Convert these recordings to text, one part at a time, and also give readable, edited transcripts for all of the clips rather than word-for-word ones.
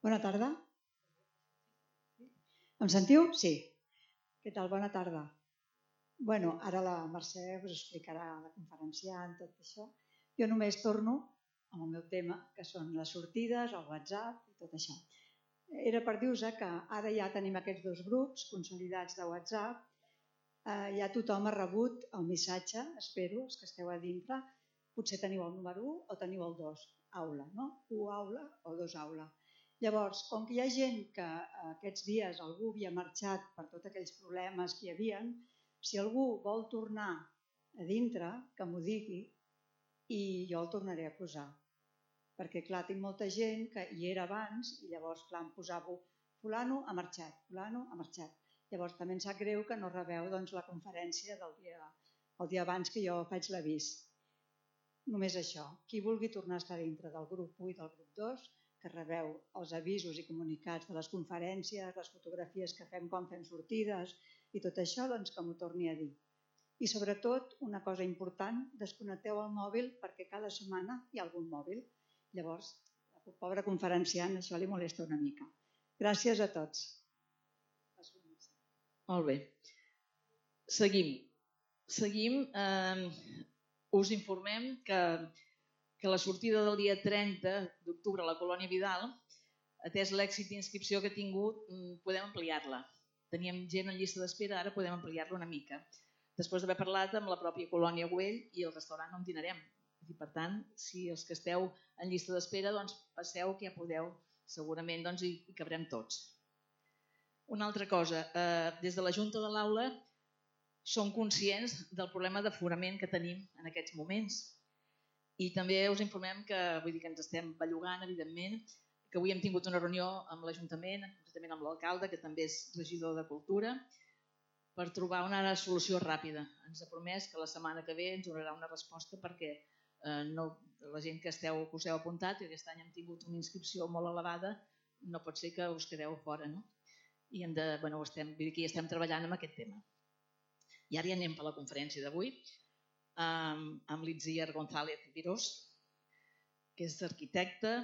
Bona tarda. Em sentiu? Sí. Què tal? Bona tarda. Bueno, ara la Mercè us explicarà la conferenciant, tot això. Jo només torno amb el meu tema, que són les sortides, el WhatsApp i tot això. Era per dir-vos que ara ja tenim aquests dos grups consolidats de WhatsApp. Ja tothom ha rebut el missatge, espero, els que esteu a dintre. Potser teniu el número 1 o teniu el 2, aula, no? 1 aula o 2 aula. Llavors, com que hi ha gent que aquests dies algú havia marxat per tots aquells problemes que hi havia, si algú vol tornar a dintre, que m'ho digui i jo el tornaré a posar. Perquè, clar, tinc molta gent que hi era abans i llavors, clar, em posava fulano ha marxat, fulano ha marxat. Llavors, també em sap greu que no rebeu la conferència del dia abans que jo faig l'avís. Només això. Qui vulgui tornar a estar dintre del grup 1 i del grup 2, que rebeu els avisos i comunicats de les conferències, les fotografies que fem quan fem sortides i tot això, que m'ho torni a dir. I sobretot, una cosa important, desconnecteu el mòbil perquè cada setmana hi ha algun mòbil. Llavors, el pobre conferenciant això li molesta una mica. Gràcies a tots. Molt bé. Seguim. Us informem que la sortida del dia 30 d'octubre a la Colònia Vidal, atès l'èxit d'inscripció que ha tingut, podem ampliar-la. Teníem gent en llista d'espera, ara podem ampliar-la una mica. Després d'haver parlat amb la pròpia Colònia Güell i el restaurant on dinarem. I per tant, si els que esteu en llista d'espera, passeu que ja podeu, segurament hi cabrem tots. Una altra cosa, des de la Junta de l'Aula som conscients del problema d'aforament que tenim en aquests moments. I també us informem que, ens estem bellugant, evidentment, que avui hem tingut una reunió amb l'Ajuntament, concretament amb l'alcalde, que també és regidor de Cultura, per trobar una solució ràpida. Ens ha promès que la setmana que ve ens donarà una resposta perquè la gent que us heu apuntat, i aquest any hem tingut una inscripció molt elevada, no pot ser que us quedeu fora, no? I estem treballant amb aquest tema. I ara ja anem per la conferència d'avui, amb l'Itziar González Virós, que és arquitecta,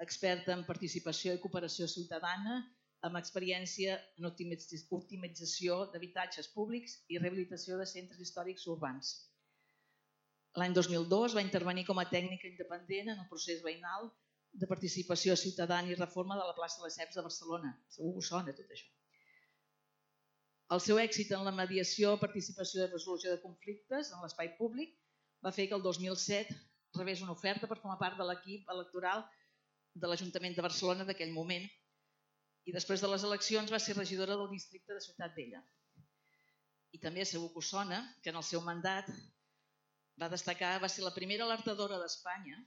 experta en participació i cooperació ciutadana, amb experiència en optimització d'habitatges públics i rehabilitació de centres històrics urbans. L'any 2002 va intervenir com a tècnica independent en el procés veïnal de participació ciutadana i reforma de la plaça Lesseps de Barcelona. Segur que us sona tot això. El seu èxit en la mediació, participació i resolució de conflictes en l'espai públic va fer que el 2007 rebés una oferta per formar part de l'equip electoral de l'Ajuntament de Barcelona d'aquell moment i després de les eleccions va ser regidora del districte de Ciutat Vella. I també segur que us sona que en el seu mandat va ser la primera alertadora d'Espanya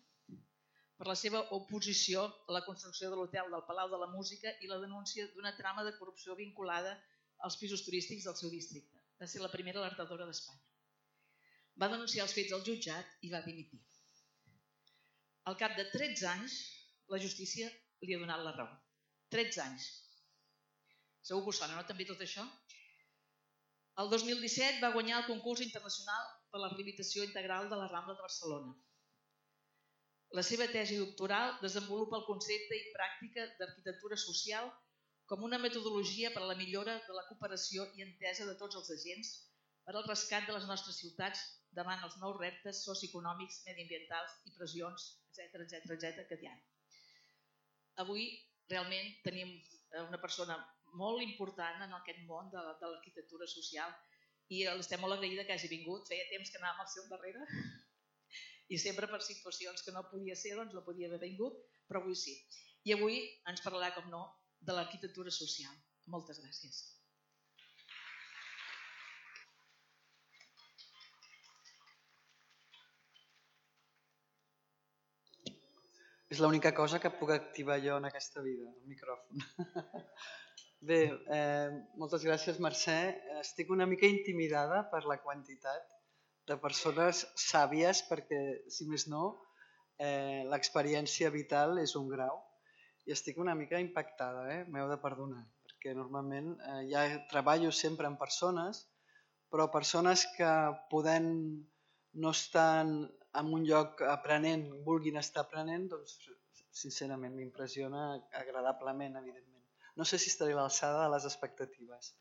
per la seva oposició a la construcció de l'hotel del Palau de la Música i la denúncia d'una trama de corrupció vinculada als pisos turístics del seu districte. Va ser la primera alertadora d'Espanya. Va denunciar els fets al jutjat i va dimitir. Al cap de 13 anys, la justícia li ha donat la raó. 13 anys. Segur que us sona, no? També tot això? El 2017 va guanyar el concurs internacional per la rehabilitació integral de la Rambla de Barcelona. La seva tesi doctoral desenvolupa el concepte i pràctica d'arquitectura social com una metodologia per a la millora de la cooperació i entesa de tots els agents per al rescat de les nostres ciutats davant els nous reptes socioeconòmics, mediambientals i pressions, etc. que hi ha. Avui realment tenim una persona molt important en aquest món de l'arquitectura social i estem molt agraïda que hagi vingut. Feia temps que anàvem al seu darrere i sempre per situacions que no podia ser, no podia haver vingut, però avui sí. I avui ens parlarà, com no, de l'arquitectura social. Moltes gràcies. És l'única cosa que puc activar jo en aquesta vida, el micròfon. Bé, moltes gràcies, Mercè. Estic una mica intimidada per la quantitat de persones sàvies perquè, si més no, l'experiència vital és un grau i estic una mica impactada, m'heu de perdonar, perquè normalment ja treballo sempre amb persones, però persones que podent no estar en un lloc aprenent, vulguin estar aprenent, doncs sincerament, m'impressiona agradablement, evidentment. No sé si estaré a l'alçada de les expectatives.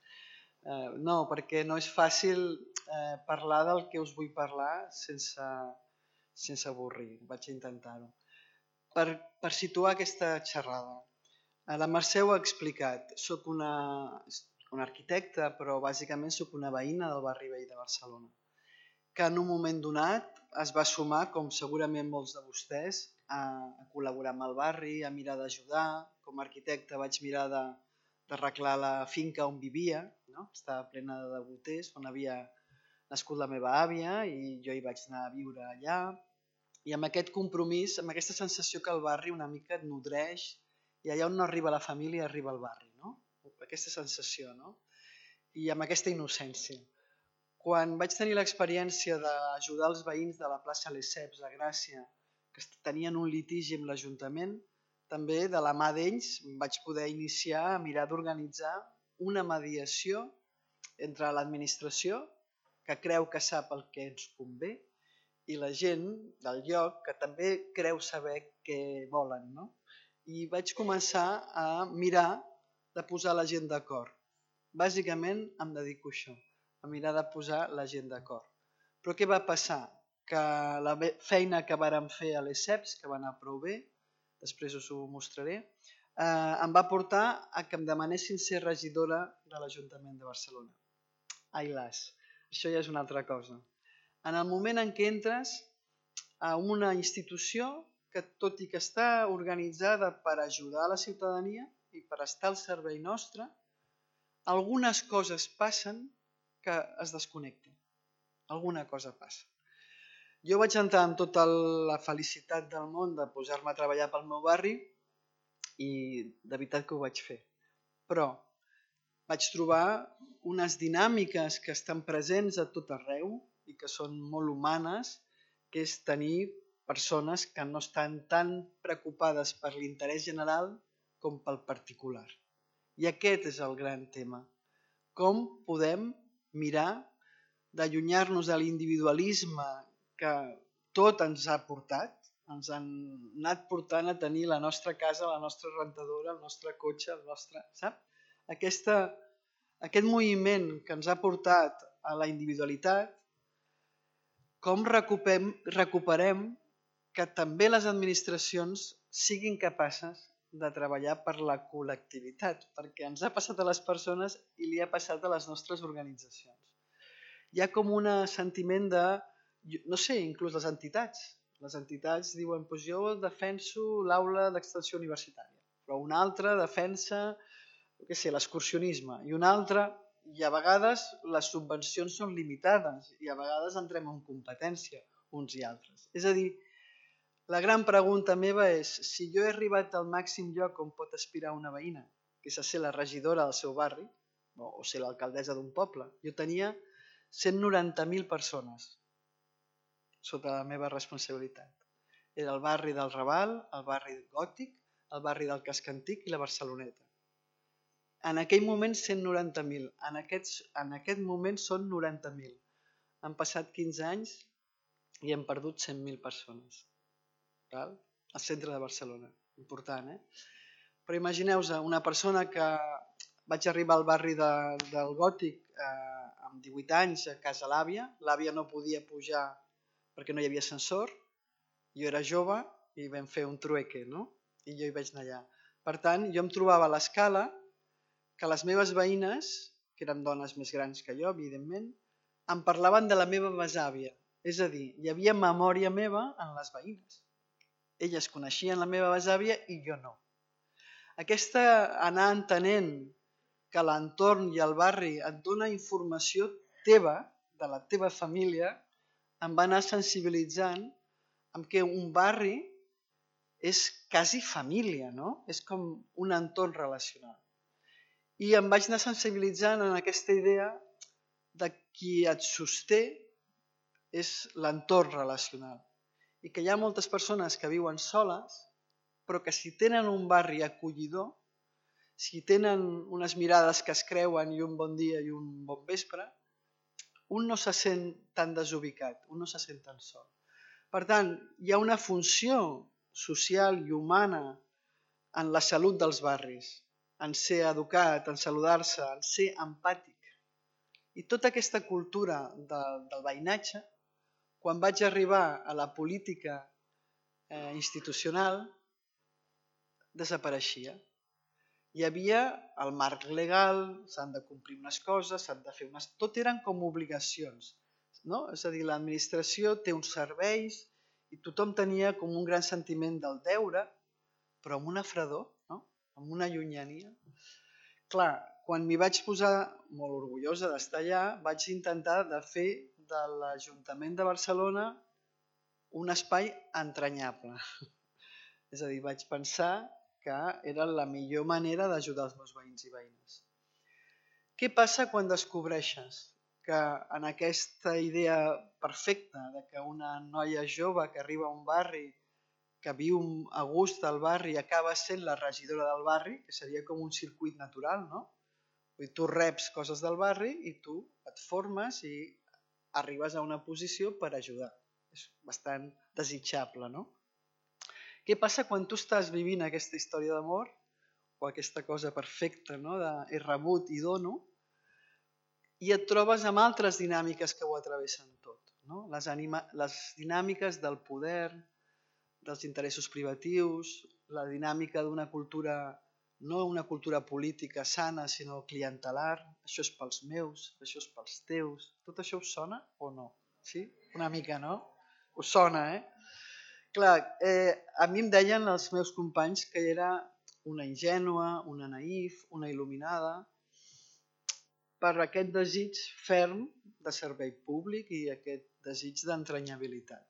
No, perquè no és fàcil parlar del que us vull parlar sense avorrir. Vaig intentar-ho. Per situar aquesta xerrada. La Mercè ho ha explicat. Soc una arquitecta, però bàsicament soc una veïna del barri vell de Barcelona, que en un moment donat es va sumar, com segurament molts de vostès, a col·laborar amb el barri, a mirar d'ajudar. Com a arquitecte vaig mirar d'arreglar la finca on vivia, no? Estava plena de boters, on havia nascut la meva àvia, i jo hi vaig anar a viure allà. I amb aquest compromís, amb aquesta sensació que el barri una mica et nodreix, i allà on no arriba la família arriba el barri, no? Aquesta sensació, no? I amb aquesta innocència. Quan vaig tenir l'experiència d'ajudar els veïns de la plaça Lesseps a Gràcia, que tenien un litigi amb l'Ajuntament, també de la mà d'ells vaig poder iniciar a mirar d'organitzar una mediació entre l'administració, que creu que sap el que ens convé, i la gent del lloc, que també creu saber què volen, no? I vaig començar a mirar de posar la gent d'acord. Bàsicament em dedico a això, a mirar de posar la gent d'acord. Però què va passar? Que la feina que vàrem fer a l'ESEPS, que va anar prou bé, després us ho mostraré, em va portar a que em demanessin ser regidora de l'Ajuntament de Barcelona. Ai las, això ja és una altra cosa. En el moment en què entres a una institució que, tot i que està organitzada per ajudar a la ciutadania i per estar al servei nostre, algunes coses passen que es desconnecten. Alguna cosa passa. Jo vaig entrar amb tota la felicitat del món de posar-me a treballar pel meu barri i de veritat que ho vaig fer. Però vaig trobar unes dinàmiques que estan presents a tot arreu i que són molt humanes, que és tenir persones que no estan tan preocupades per l'interès general com pel particular. I aquest és el gran tema. Com podem mirar d'allunyar-nos de l'individualisme que tot ens ha portat, ens han anat portant a tenir la nostra casa, la nostra rentadora, el nostre cotxe, el nostre... Sap? Aquest moviment que ens ha portat a la individualitat, com recuperem que també les administracions siguin capaces de treballar per la col·lectivitat, perquè ens ha passat a les persones i li ha passat a les nostres organitzacions. Hi ha com un sentiment de, no sé, inclús les entitats. Les entitats diuen, doncs jo defenso l'aula d'extensió universitària, però un altre defensa l'excursionisme, i un altre... I a vegades les subvencions són limitades i a vegades entrem en competència uns i altres. És a dir, la gran pregunta meva és si jo he arribat al màxim lloc on pot aspirar una veïna, que és a ser la regidora del seu barri o ser l'alcaldessa d'un poble. Jo tenia 190.000 persones sota la meva responsabilitat. Era el barri del Raval, el barri Gòtic, el barri del Casc Antic i la Barceloneta. En aquell moment 190.000, en aquest moment són 90.000. Han passat 15 anys i hem perdut 100.000 persones. Al centre de Barcelona, important, Però imagineu-vos una persona que vaig arribar al barri del Gòtic amb 18 anys a casa l'àvia no podia pujar perquè no hi havia ascensor, jo era jove i vam fer un trueque, no? I jo hi vaig anar allà. Per tant, jo em trobava a l'escala que les meves veïnes, que eren dones més grans que jo, evidentment, em parlaven de la meva besàvia. És a dir, hi havia memòria meva en les veïnes. Elles coneixien la meva besàvia i jo no. Aquesta anar entenent que l'entorn i el barri et dona informació teva, de la teva família, em va anar sensibilitzant amb que un barri és quasi família, no? És com un entorn relacional. I em vaig anar sensibilitzant en aquesta idea de qui et sosté és l'entorn relacional. I que hi ha moltes persones que viuen soles, però que si tenen un barri acollidor, si tenen unes mirades que es creuen i un bon dia i un bon vespre, un no se sent tan desubicat, un no se sent tan sol. Per tant, hi ha una funció social i humana en la salut dels barris, en ser educat, en saludar-se, en ser empàtic. I tota aquesta cultura del veïnatge, quan vaig arribar a la política institucional, desapareixia. Hi havia el marc legal, s'han de complir unes coses, s'han de fer unes... Tot eren com obligacions. No? És a dir, l'administració té uns serveis i tothom tenia com un gran sentiment del deure, però amb una fredor, no? Amb una llunyania. Clar, quan m'hi vaig posar molt orgullosa d'estar allà, vaig intentar de fer de l'Ajuntament de Barcelona un espai entranyable. És a dir, vaig pensar que era la millor manera d'ajudar els meus veïns i veïnes. Què passa quan descobreixes que en aquesta idea perfecta de que una noia jove que arriba a un barri, que viu a gust del barri, acaba sent la regidora del barri, que seria com un circuit natural, no? Vull dir, tu reps coses del barri i tu et formes i arribes a una posició per ajudar. És bastant desitjable, no? Què passa quan tu estàs vivint aquesta història d'amor o aquesta cosa perfecta, no? De he rebut i dono, i et trobes amb altres dinàmiques que ho atravessen tot, no? Les dinàmiques del poder, dels interessos privatius, la dinàmica d'una cultura, no una cultura política sana, sinó clientelar, això és pels meus, això és pels teus. Tot això us sona o no? Sí? Una mica, no? Us sona, Clar, a mi em deien els meus companys que era una ingènua, una naïf, una il·luminada, per aquest desig ferm de servei públic i aquest desig d'entranyabilitat.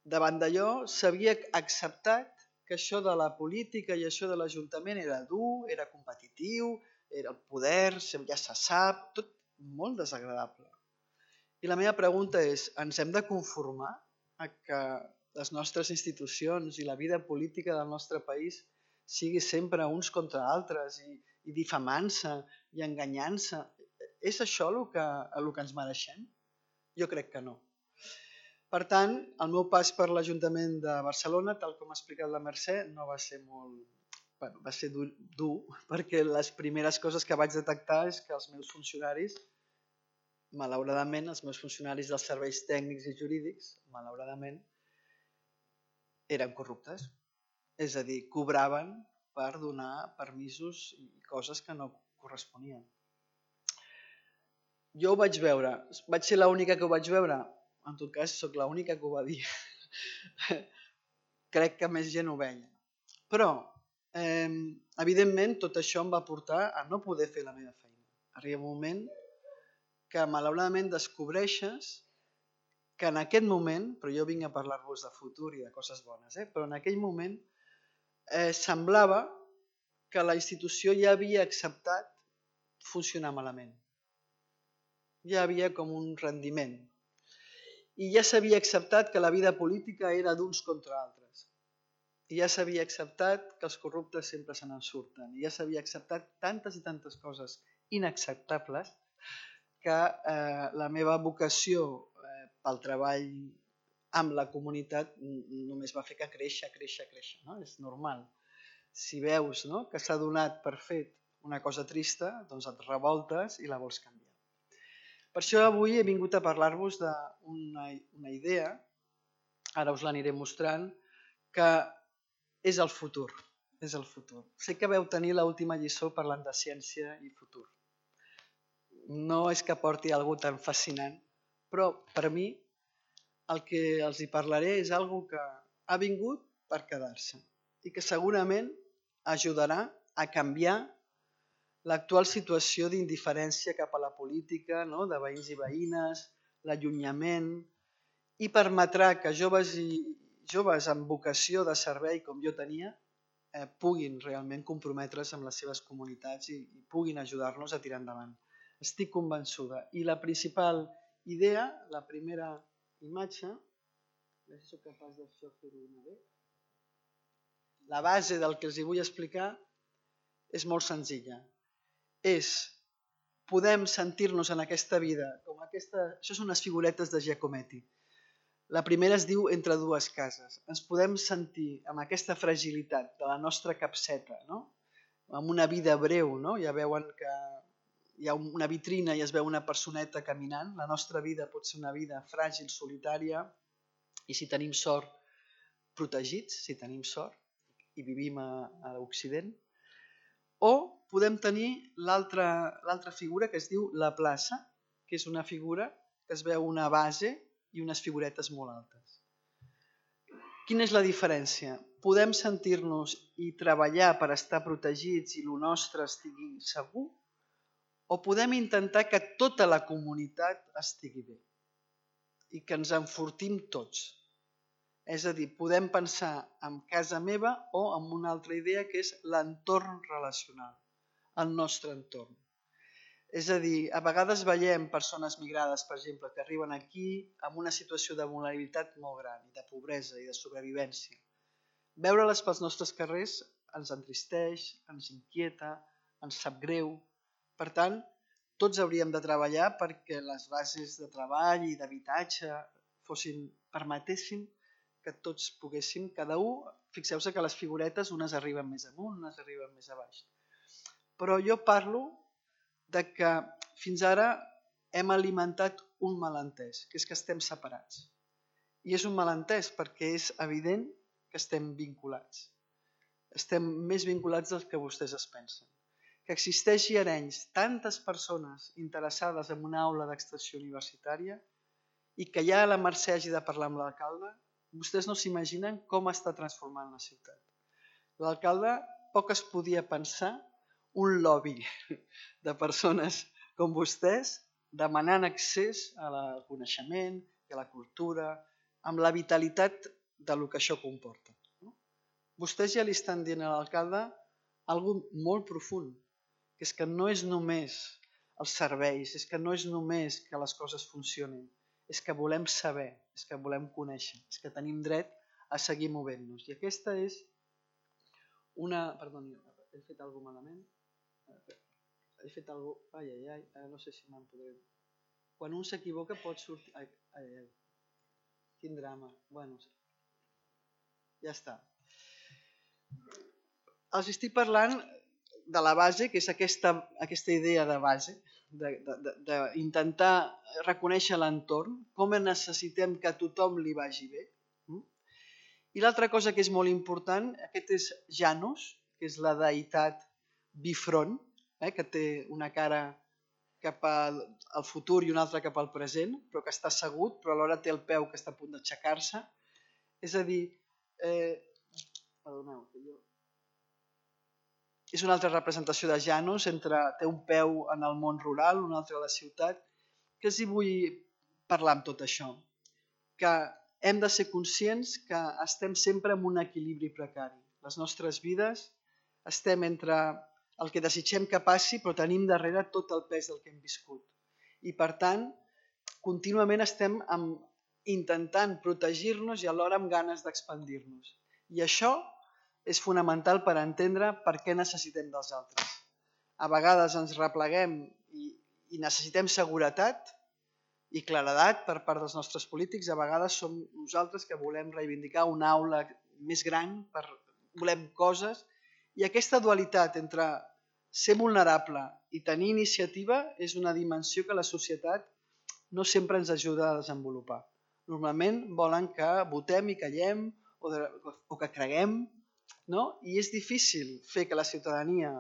Davant d'allò s'havia acceptat que això de la política i això de l'Ajuntament era dur, era competitiu, era el poder, ja se sap, tot molt desagradable. I la meva pregunta és, ens hem de conformar a que les nostres institucions i la vida política del nostre país sigui sempre uns contra altres i difamant-se i enganyant-se? És això el que ens mereixem? Jo crec que no. Per tant, el meu pas per l'Ajuntament de Barcelona, tal com ha explicat la Mercè, no va ser molt... Bueno, va ser dur, perquè les primeres coses que vaig detectar és que els meus funcionaris, malauradament, els meus funcionaris dels serveis tècnics i jurídics, malauradament, eren corruptes. És a dir, cobraven per donar permisos i coses que no corresponien. Jo ho vaig veure. Vaig ser l'única que ho vaig veure? En tot cas, sóc l'única que ho va dir. Crec que més gent ho veia. Però, evidentment, tot això em va portar a no poder fer la meva feina. Arriba un moment que, malauradament, descobreixes que en aquest moment, però jo vinc a parlar-vos de futur i de coses bones, però en aquell moment semblava que la institució ja havia acceptat funcionar malament. Ja havia com un rendiment. I ja s'havia acceptat que la vida política era d'uns contra altres. I ja s'havia acceptat que els corruptes sempre se n'en surten. I ja s'havia acceptat tantes i tantes coses inacceptables que la meva vocació pel treball amb la comunitat només va fer que créixer. No? És normal. Si veus que s'ha donat per fet una cosa trista, doncs et revoltes i la vols canviar. Per això avui he vingut a parlar-vos d'una idea, ara us l'aniré mostrant, que és el futur. És el futur. Sé que vau tenir l'última lliçó parlant de ciència i futur. No és que porti alguna cosa tan fascinant, però per mi el que els hi parlaré és alguna que ha vingut per quedar-se i que segurament ajudarà a canviar l'actual situació d'indiferència cap a la política, de veïns i veïnes, l'allunyament, i permetrà que joves amb vocació de servei com jo tenia puguin realment comprometre's amb les seves comunitats i puguin ajudar-nos a tirar endavant. Estic convençuda. I la principal idea, la primera imatge, a veure si soc capaç de fer-ho bé. La base del que els vull explicar és molt senzilla. Podem sentir-nos en aquesta vida com això són unes figuretes de Giacometti. La primera es diu Entre dues cases. Ens podem sentir amb aquesta fragilitat de la nostra capseta, no? Amb una vida breu, no? Ja veuen que hi ha una vitrina i es veu una personeta caminant. La nostra vida pot ser una vida fràgil, solitària, i si tenim sort, protegits, si tenim sort, i vivim a l'Occident. O podem tenir l'altra figura que es diu la plaça, que és una figura que es veu una base i unes figuretes molt altes. Quina és la diferència? Podem sentir-nos i treballar per estar protegits i el nostre estigui segur? O podem intentar que tota la comunitat estigui bé i que ens enfortim tots? És a dir, podem pensar en casa meva o en una altra idea que és l'entorn relacional, el nostre entorn. És a dir, a vegades veiem persones migrades, per exemple, que arriben aquí amb una situació de vulnerabilitat molt gran, i de pobresa i de sobrevivència. Veure-les pels nostres carrers ens entristeix, ens inquieta, ens sap greu. Per tant, tots hauríem de treballar perquè les bases de treball i d'habitatge permetessin que tots poguéssim, cada un, fixeu-se que les figuretes unes arriben més amunt, unes arriben més a baix. Però jo parlo de que fins ara hem alimentat un malentès, que és que estem separats. I és un malentès perquè és evident que estem vinculats. Estem més vinculats del que vostès es pensen. Que existeixi a Arenys tantes persones interessades en una aula d'extensió universitària i que ja la Mercè hagi de parlar amb l'alcalde, vostès no s'imaginen com està transformant la ciutat. L'alcalde poc es podia pensar un lobby de persones com vostès demanant accés al coneixement i a la cultura, amb la vitalitat del que això comporta. Vostès ja li estan dient a l'alcalde alguna cosa molt profund, que és que no és només els serveis, és que no és només que les coses funcionin, és que volem saber, és que volem conèixer, és que tenim dret a seguir movent-nos. I aquesta és una... Perdoni, he fet alguna cosa malament? He fet alguna cosa... Ai, no sé si me'n podré... Quan un s'equivoca pot sortir... Ai, quin drama. Bueno, ja està. Els estic parlant de la base, que és aquesta idea de base, d'intentar reconèixer l'entorn, com necessitem que a tothom li vagi bé. I l'altra cosa que és molt important, aquest és Janus, que és la deïtat bifront, que té una cara cap al futur i una altra cap al present, però que està assegut, però alhora té el peu que està a punt d'aixecar-se. És a dir, perdoneu, és una altra representació de Janus, té un peu en el món rural, un altre a la ciutat. Què els hi vull parlar amb tot això? Que hem de ser conscients que estem sempre en un equilibri precari. Les nostres vides estem entre el que desitgem que passi, però tenim darrere tot el pes del que hem viscut. I per tant, contínuament estem intentant protegir-nos i alhora amb ganes d'expandir-nos. I això és fonamental per entendre per què necessitem dels altres. A vegades ens repleguem i necessitem seguretat i claredat per part dels nostres polítics. A vegades som nosaltres que volem reivindicar una aula més gran, volem coses. I aquesta dualitat entre ser vulnerable i tenir iniciativa és una dimensió que la societat no sempre ens ajuda a desenvolupar. Normalment volen que votem i callem o que creguem, no? I és difícil fer que la ciutadania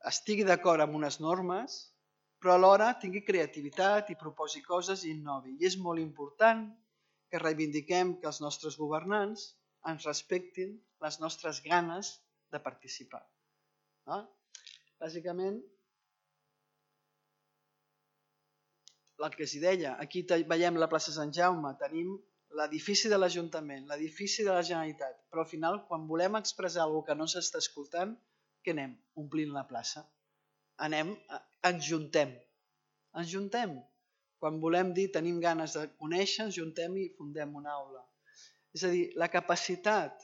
estigui d'acord amb unes normes, però alhora tingui creativitat i proposi coses i innovi. I és molt important que reivindiquem que els nostres governants ens respectin les nostres ganes de participar. Bàsicament, el que els deia, aquí veiem la plaça Sant Jaume, tenim l'edifici de l'Ajuntament, l'edifici de la Generalitat, però al final, quan volem expressar alguna cosa que no s'està escoltant, què anem? Omplint la plaça. Ens juntem. Quan volem dir, tenim ganes de conèixer, ens juntem i fundem una aula. És a dir, la capacitat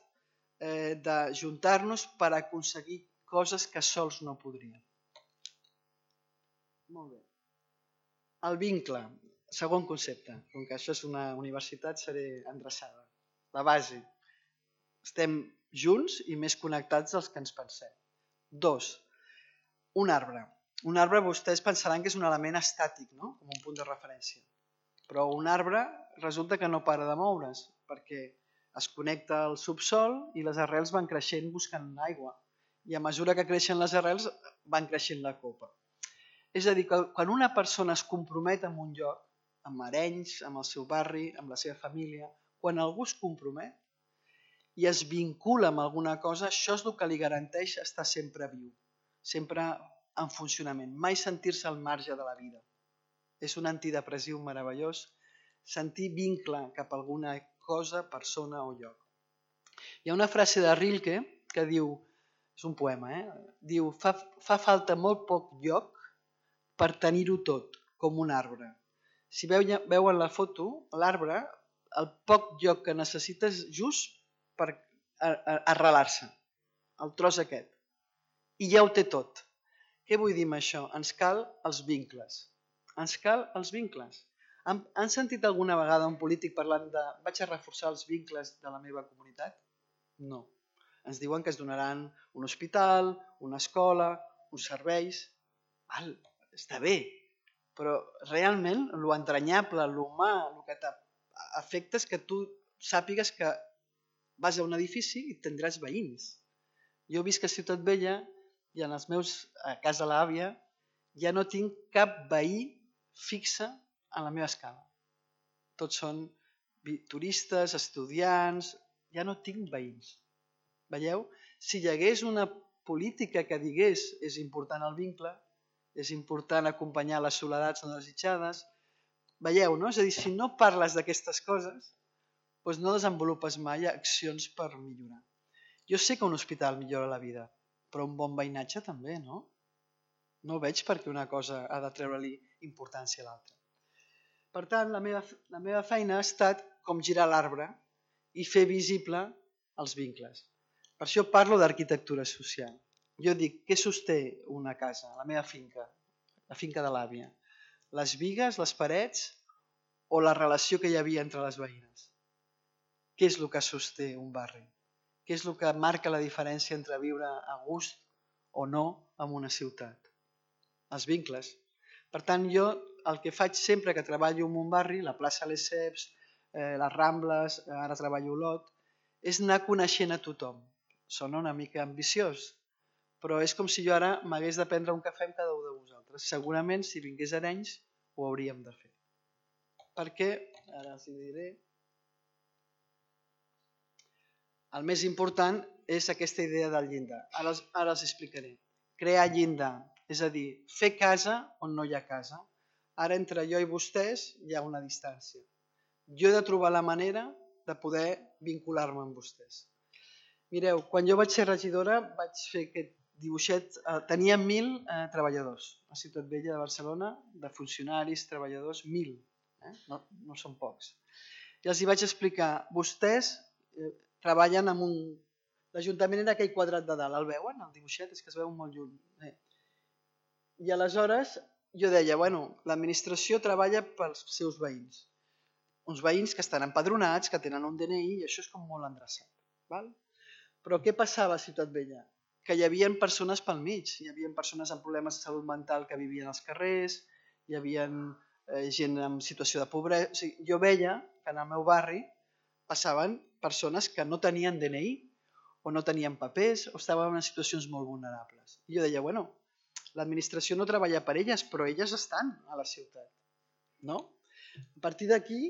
d'ajuntar-nos per aconseguir coses que sols no podríem. Molt bé. El vincle. Segon concepte, com que això és una universitat, seré endreçada. La base. Estem junts i més connectats dels que ens pensem. 2. Un arbre. Un arbre vostès pensaran que és un element estàtic, no? Com un punt de referència. Però un arbre resulta que no para de moure's, perquè es connecta al subsol i les arrels van creixent buscant aigua. I a mesura que creixen les arrels van creixent la copa. És a dir, que quan una persona es compromet amb un lloc, amb Arenys, amb el seu barri, amb la seva família, quan algú es compromet i es vincula amb alguna cosa, això és el que li garanteix estar sempre viu, sempre en funcionament, mai sentir-se al marge de la vida. És un antidepressiu meravellós sentir vincle cap a alguna cosa, persona o lloc. Hi ha una frase de Rilke que diu, és un poema, diu, fa falta molt poc lloc per tenir-ho tot, com un arbre. Si veuen la foto, l'arbre, el poc lloc que necessita és just per arrelar-se, el tros aquest. I ja ho té tot. Què vull dir amb això? Ens cal els vincles. Ens cal els vincles. Han sentit alguna vegada un polític parlant de vaig a reforçar els vincles de la meva comunitat? No. Ens diuen que es donaran un hospital, una escola, uns serveis. Val, està bé, però realment l'entranyable, l'humà, el que t'afecta és que tu sàpigues que vas a un edifici i tindràs veïns. Jo visc a Ciutat Vella i a casa de l'àvia ja no tinc cap veí fixe a la meva escala. Tots són turistes, estudiants, ja no tinc veïns. Veieu? Si hi hagués una política que digués és important el vincle, és important acompanyar les soledats no desitjades, veieu, no? És a dir, si no parles d'aquestes coses, doncs no desenvolupes mai accions per millorar. Jo sé que un hospital millora la vida, però un bon veïnatge també, no? No veig per què una cosa ha de treure-li importància a l'altra. Per tant, la meva feina ha estat com girar l'arbre i fer visible els vincles. Per això parlo d'arquitectura social. Jo dic, què sosté una casa, la meva finca, la finca de l'àvia? Les bigues, les parets o la relació que hi havia entre les veïnes? Què és el que sosté un barri? Què és el que marca la diferència entre viure a gust o no en una ciutat? Els vincles. Per tant, jo el que faig sempre que treballo en un barri, la plaça Lesseps, les Rambles, ara treballo a Olot, és anar coneixent a tothom. Sona una mica ambiciós, però és com si jo ara m'hagués de prendre un cafè amb cada un de vosaltres. Segurament, si vingués a Arenys, ho hauríem de fer. Perquè, ara els diré, el més important és aquesta idea del llindar. Ara els explicaré. Crear llindar, és a dir, fer casa on no hi ha casa. Ara entre jo i vostès hi ha una distància. Jo he de trobar la manera de poder vincular-me amb vostès. Mireu, quan jo vaig ser regidora vaig fer aquest dibuixet, tenia 1.000 treballadors a Ciutat Vella de Barcelona, de funcionaris, treballadors, 1.000, no són pocs. I els hi vaig explicar, vostès treballen amb un... L'Ajuntament era aquell quadrat de dalt, el veuen, el dibuixet? És que es veu molt lluny. I aleshores jo deia, bueno, l'administració treballa pels seus veïns. Uns veïns que estan empadronats, que tenen un DNI, i això és com molt endreçat. Però què passava a Ciutat Vella? Que hi havia persones pel mig, hi havia persones amb problemes de salut mental que vivien als carrers, hi havia gent en situació de pobresa. O sigui, jo veia que en el meu barri passaven persones que no tenien DNI o no tenien papers o estaven en situacions molt vulnerables. I jo deia, bueno, l'administració no treballa per elles, però elles estan a la ciutat. No? A partir d'aquí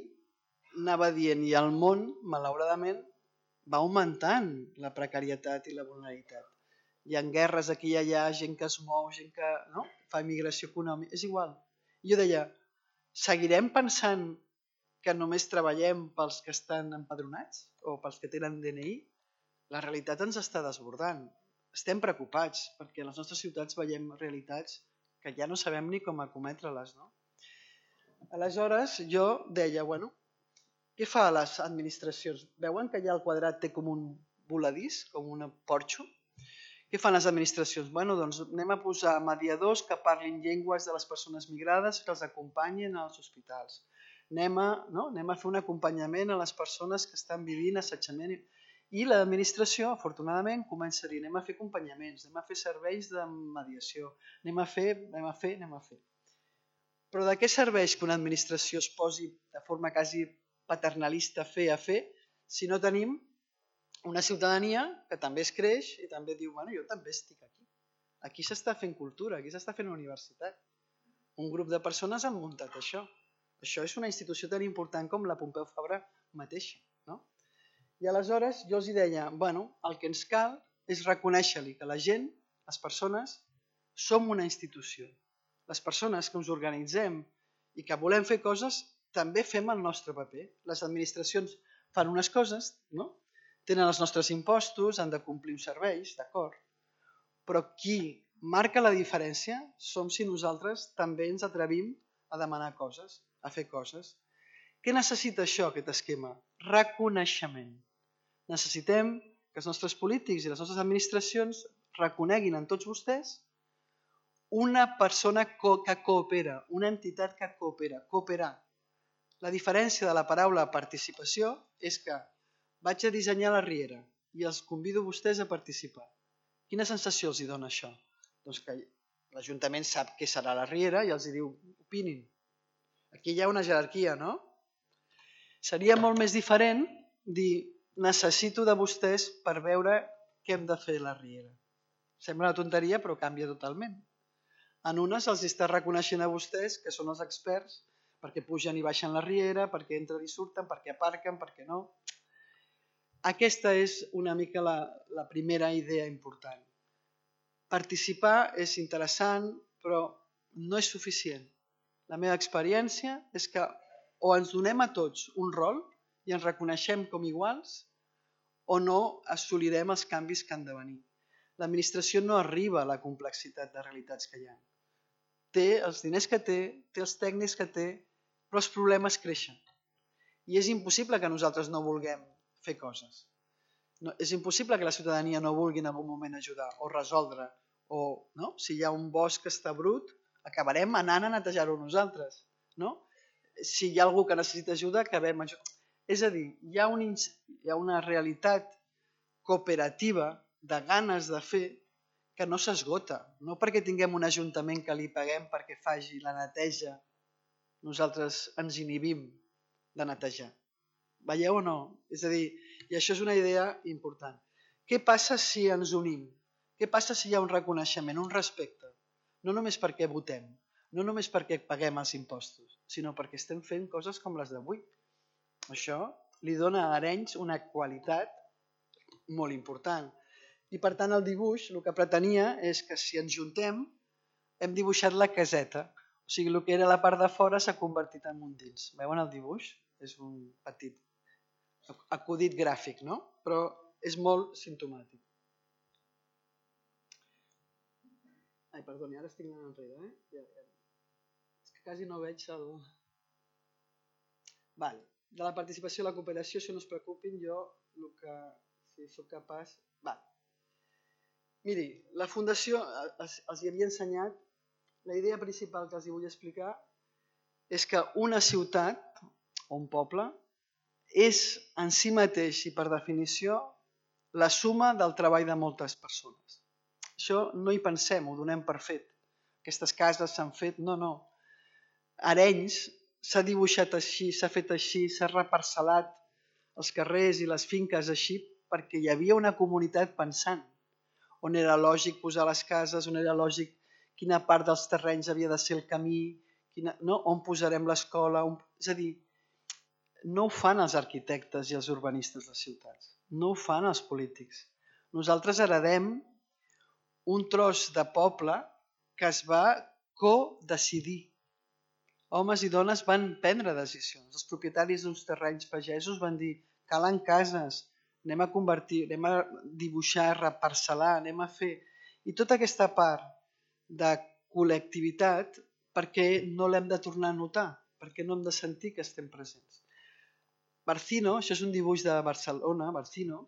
anava dient, i el món, malauradament, va augmentant la precarietat i la vulnerabilitat. Hi ha guerres aquí i allà, gent que es mou, gent que fa immigració econòmica, és igual. I jo deia, seguirem pensant que només treballem pels que estan empadronats o pels que tenen DNI? La realitat ens està desbordant. Estem preocupats perquè a les nostres ciutats veiem realitats que ja no sabem ni com acometre-les. Aleshores jo deia, bueno, què fa a les administracions? Veuen que allà el quadrat té com un voladís, com un porxo? Què fan les administracions? Bueno, doncs anem a posar mediadors que parlin llengües de les persones migrades que els acompanyin als hospitals. anem a fer un acompanyament a les persones que estan vivint assetjament. I l'administració, afortunadament, comença a dir anem a fer acompanyaments, anem a fer serveis de mediació, anem a fer. Però de què serveix que una administració es posi de forma quasi paternalista a fer, si no tenim una ciutadania que també es creix i també diu, bueno, jo també estic aquí. Aquí s'està fent cultura, aquí s'està fent universitat. Un grup de persones han muntat això. Això és una institució tan important com la Pompeu Fabra mateixa. No? I aleshores jo els deia, bueno, el que ens cal és reconèixer-li que la gent, les persones, som una institució. Les persones que ens organitzem i que volem fer coses, també fem el nostre paper. Les administracions fan unes coses, no? Tenen els nostres impostos, han de complir uns serveis, d'acord. Però qui marca la diferència som si nosaltres també ens atrevim a demanar coses, a fer coses. Què necessita això, aquest esquema? Reconeixement. Necessitem que els nostres polítics i les nostres administracions reconeguin en tots vostès una persona que coopera, una entitat que coopera, cooperar. La diferència de la paraula participació és que vaig a dissenyar la riera i els convido a vostès a participar. Quina sensació els dona això? Doncs que l'Ajuntament sap què serà la riera i els diu, opinin. Aquí hi ha una jerarquia, no? Seria molt més diferent dir, necessito de vostès per veure què hem de fer a la riera. Sembla una tonteria, però canvia totalment. En unes els està reconeixent a vostès que són els experts perquè pugen i baixen la riera, perquè entren i surten, perquè aparquen, perquè no. Aquesta és una mica la primera idea important. Participar és interessant, però no és suficient. La meva experiència és que o ens donem a tots un rol i ens reconeixem com iguals o no assolirem els canvis que han de venir. L'administració no arriba a la complexitat de realitats que hi ha. Té els diners que té els tècnics que té, però els problemes creixen. I és impossible que nosaltres no vulguem fer coses. És impossible que la ciutadania no vulgui en algun moment ajudar o resoldre. Si hi ha un bosc que està brut, acabarem anant a netejar-ho nosaltres. Si hi ha algú que necessita ajuda, acabem ajudant. És a dir, hi ha una realitat cooperativa de ganes de fer que no s'esgota, no perquè tinguem un ajuntament que li paguem perquè faci la neteja, nosaltres ens inhibim de netejar. Veieu o no? És a dir, i això és una idea important. Què passa si ens unim? Què passa si hi ha un reconeixement, un respecte? No només perquè votem, no només perquè paguem els impostos, sinó perquè estem fent coses com les d'avui. Això li dona a Arenys una qualitat molt important. I per tant el dibuix el que pretenia és que si ens juntem hem dibuixat la caseta. O sigui, el que era la part de fora s'ha convertit en un dins. Veuen el dibuix? És un petit acudit gràfic, no? Però és molt simptomàtic. Ai, perdoni, ara estic anant enrere, És que quasi no veig el... Vale. De la participació i la cooperació, si no es preocupin, jo el que... Si sóc capaç... Vale. Miri, la Fundació els hi havia ensenyat, la idea principal que els vull explicar és que una ciutat o un poble és en si mateix i per definició la suma del treball de moltes persones. Això no hi pensem, ho donem per fet. Aquestes cases s'han fet, no. Arenys s'ha dibuixat així, s'ha fet així, s'ha reparcel·lat els carrers i les finques així perquè hi havia una comunitat pensant on era lògic posar les cases, on era lògic quina part dels terrenys havia de ser el camí, on posarem l'escola. És a dir, no ho fan els arquitectes i els urbanistes de ciutats, no ho fan els polítics. Nosaltres heredem un tros de poble que es va co-decidir. Homes i dones van prendre decisions. Els propietaris d'uns terrenys pagesos van dir calen cases, anem a convertir, anem a dibuixar, reparcel·lar, anem a fer... I tota aquesta part de col·lectivitat, perquè no l'hem de tornar a notar, perquè no hem de sentir que estem presents. Barcino, això és un dibuix de Barcelona, Barcino,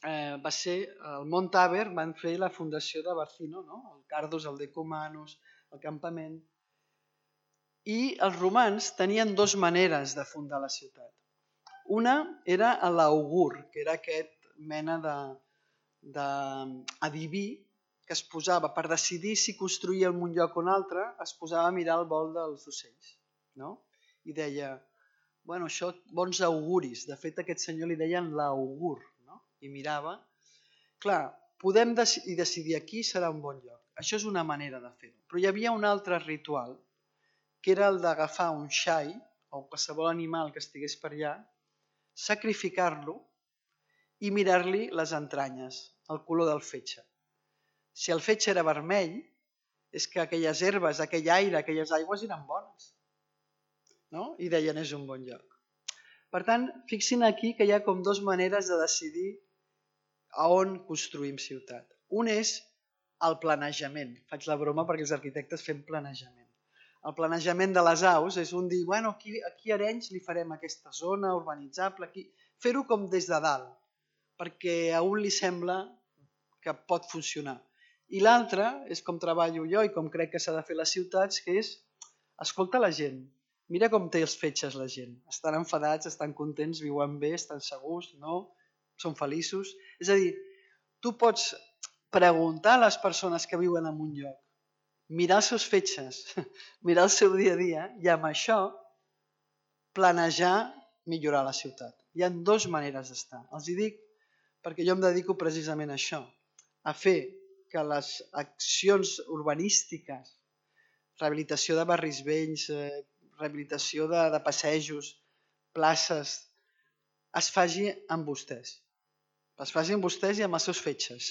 va ser, el Mont Àver van fer la fundació de Barcino, no? El Cardus, el Decumanus, el campament. I els romans tenien dues maneres de fundar la ciutat. Una era l'augur, que era aquest mena d'adiví que es posava per decidir si construïa en un lloc o un altre, es posava a mirar el vol dels ocells. No? I deia, bueno, això bons auguris. De fet, a aquest senyor li deien l'augur. No? I mirava. Clar, podem decidir aquí serà un bon lloc. Això és una manera de fer-ho. Però hi havia un altre ritual, que era el d'agafar un xai, o qualsevol animal que estigués per allà, sacrificar-lo i mirar-li les entranyes, el color del fetge. Si el fetge era vermell, és que aquelles herbes, aquell aire, aquelles aigües eren bones. No? I deien, és un bon lloc. Per tant, fixin aquí que hi ha com dues maneres de decidir a on construïm ciutat. Un és el planejament. Faig la broma perquè els arquitectes fem planejament. El planejament de les aus és un dir, bueno, aquí a Arenys li farem aquesta zona urbanitzable, fer-ho com des de dalt, perquè a un li sembla que pot funcionar. I l'altre és com treballo jo i com crec que s'ha de fer les ciutats, que és, escolta la gent, mira com té els fetges la gent. Estan enfadats, estan contents, viuen bé, estan segurs, no? Són feliços. És a dir, tu pots preguntar a les persones que viuen en un lloc, mirar els seus fetges, mirar el seu dia a dia i amb això planejar millorar la ciutat. Hi ha dues maneres d'estar. Els hi dic perquè jo em dedico precisament a això, a fer que les accions urbanístiques, rehabilitació de barris vells, rehabilitació de passejos, places, es faci amb vostès. Es faci amb vostès i amb els seus fetges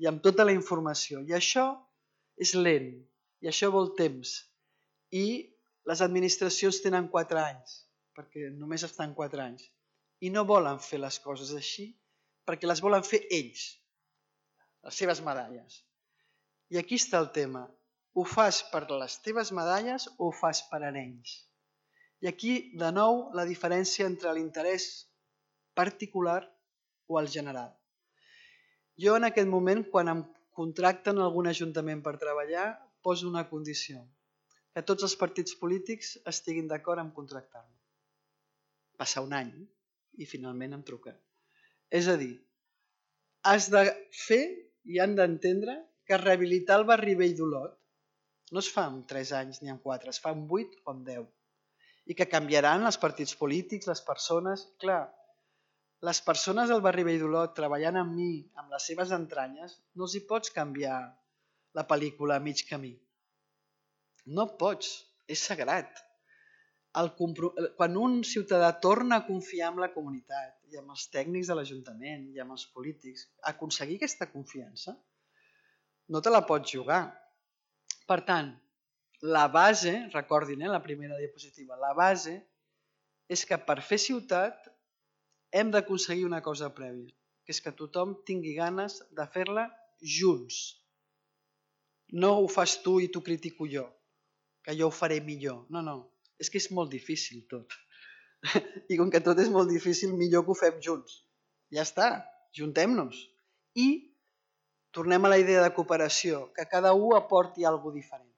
i amb tota la informació. I això és lent i això vol temps. I les administracions tenen 4 anys, perquè només estan 4 anys. I no volen fer les coses així perquè les volen fer ells, les seves medalles. I aquí està el tema. Ho fas per les teves medalles o ho fas per Arenys? I aquí, de nou, la diferència entre l'interès particular o el general. Jo en aquest moment, quan em contracten algun ajuntament per treballar, poso una condició, que tots els partits polítics estiguin d'acord en contractar-me. Passa un any i finalment em truquen. És a dir, has de fer i han d'entendre que rehabilitar el barri vell d'Olot no es fa en 3 anys ni en 4, es fa en 8 o en 10. I que canviaran els partits polítics, les persones. Clar, les persones del barri vell d'Olot treballant amb mi, amb les seves entranyes, no els hi pots canviar la pel·lícula a mig camí. No pots, és sagrat. Quan un ciutadà torna a confiar en la comunitat i amb els tècnics de l'Ajuntament i amb els polítics, aconseguir aquesta confiança, no te la pots jugar. Per tant, la base, recordin, la primera diapositiva, la base és que per fer ciutat hem d'aconseguir una cosa prèvia, que és que tothom tingui ganes de fer-la junts. No ho fas tu i t'ho critico jo, que jo ho faré millor. No, no, és que és molt difícil tot. I com que tot és molt difícil, millor que ho fem junts. Ja està, juntem-nos. I tornem a la idea de cooperació, que cada un aporti alguna cosa diferent.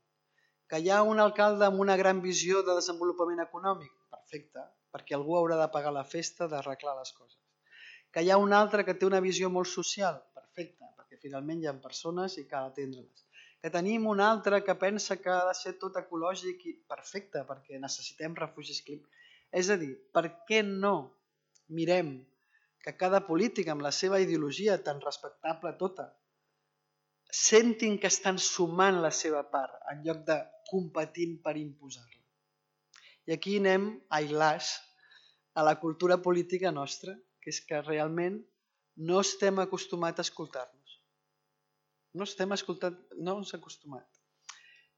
Que hi ha un alcalde amb una gran visió de desenvolupament econòmic? Perfecte, perquè algú haurà de pagar la festa, d'arreglar les coses. Que hi ha un altre que té una visió molt social? Perfecte, perquè finalment hi ha persones i cal atendre-les. Que tenim un altre que pensa que ha de ser tot ecològic? Perfecte, perquè necessitem refugis climàtics. És a dir, per què no mirem que cada polític amb la seva ideologia tan respectable tota sentin que estan sumant la seva part en lloc de competint per imposar-la. I aquí anem, ai las, a la cultura política nostra, que és que realment no estem acostumats a escoltar-nos. No ens acostumat.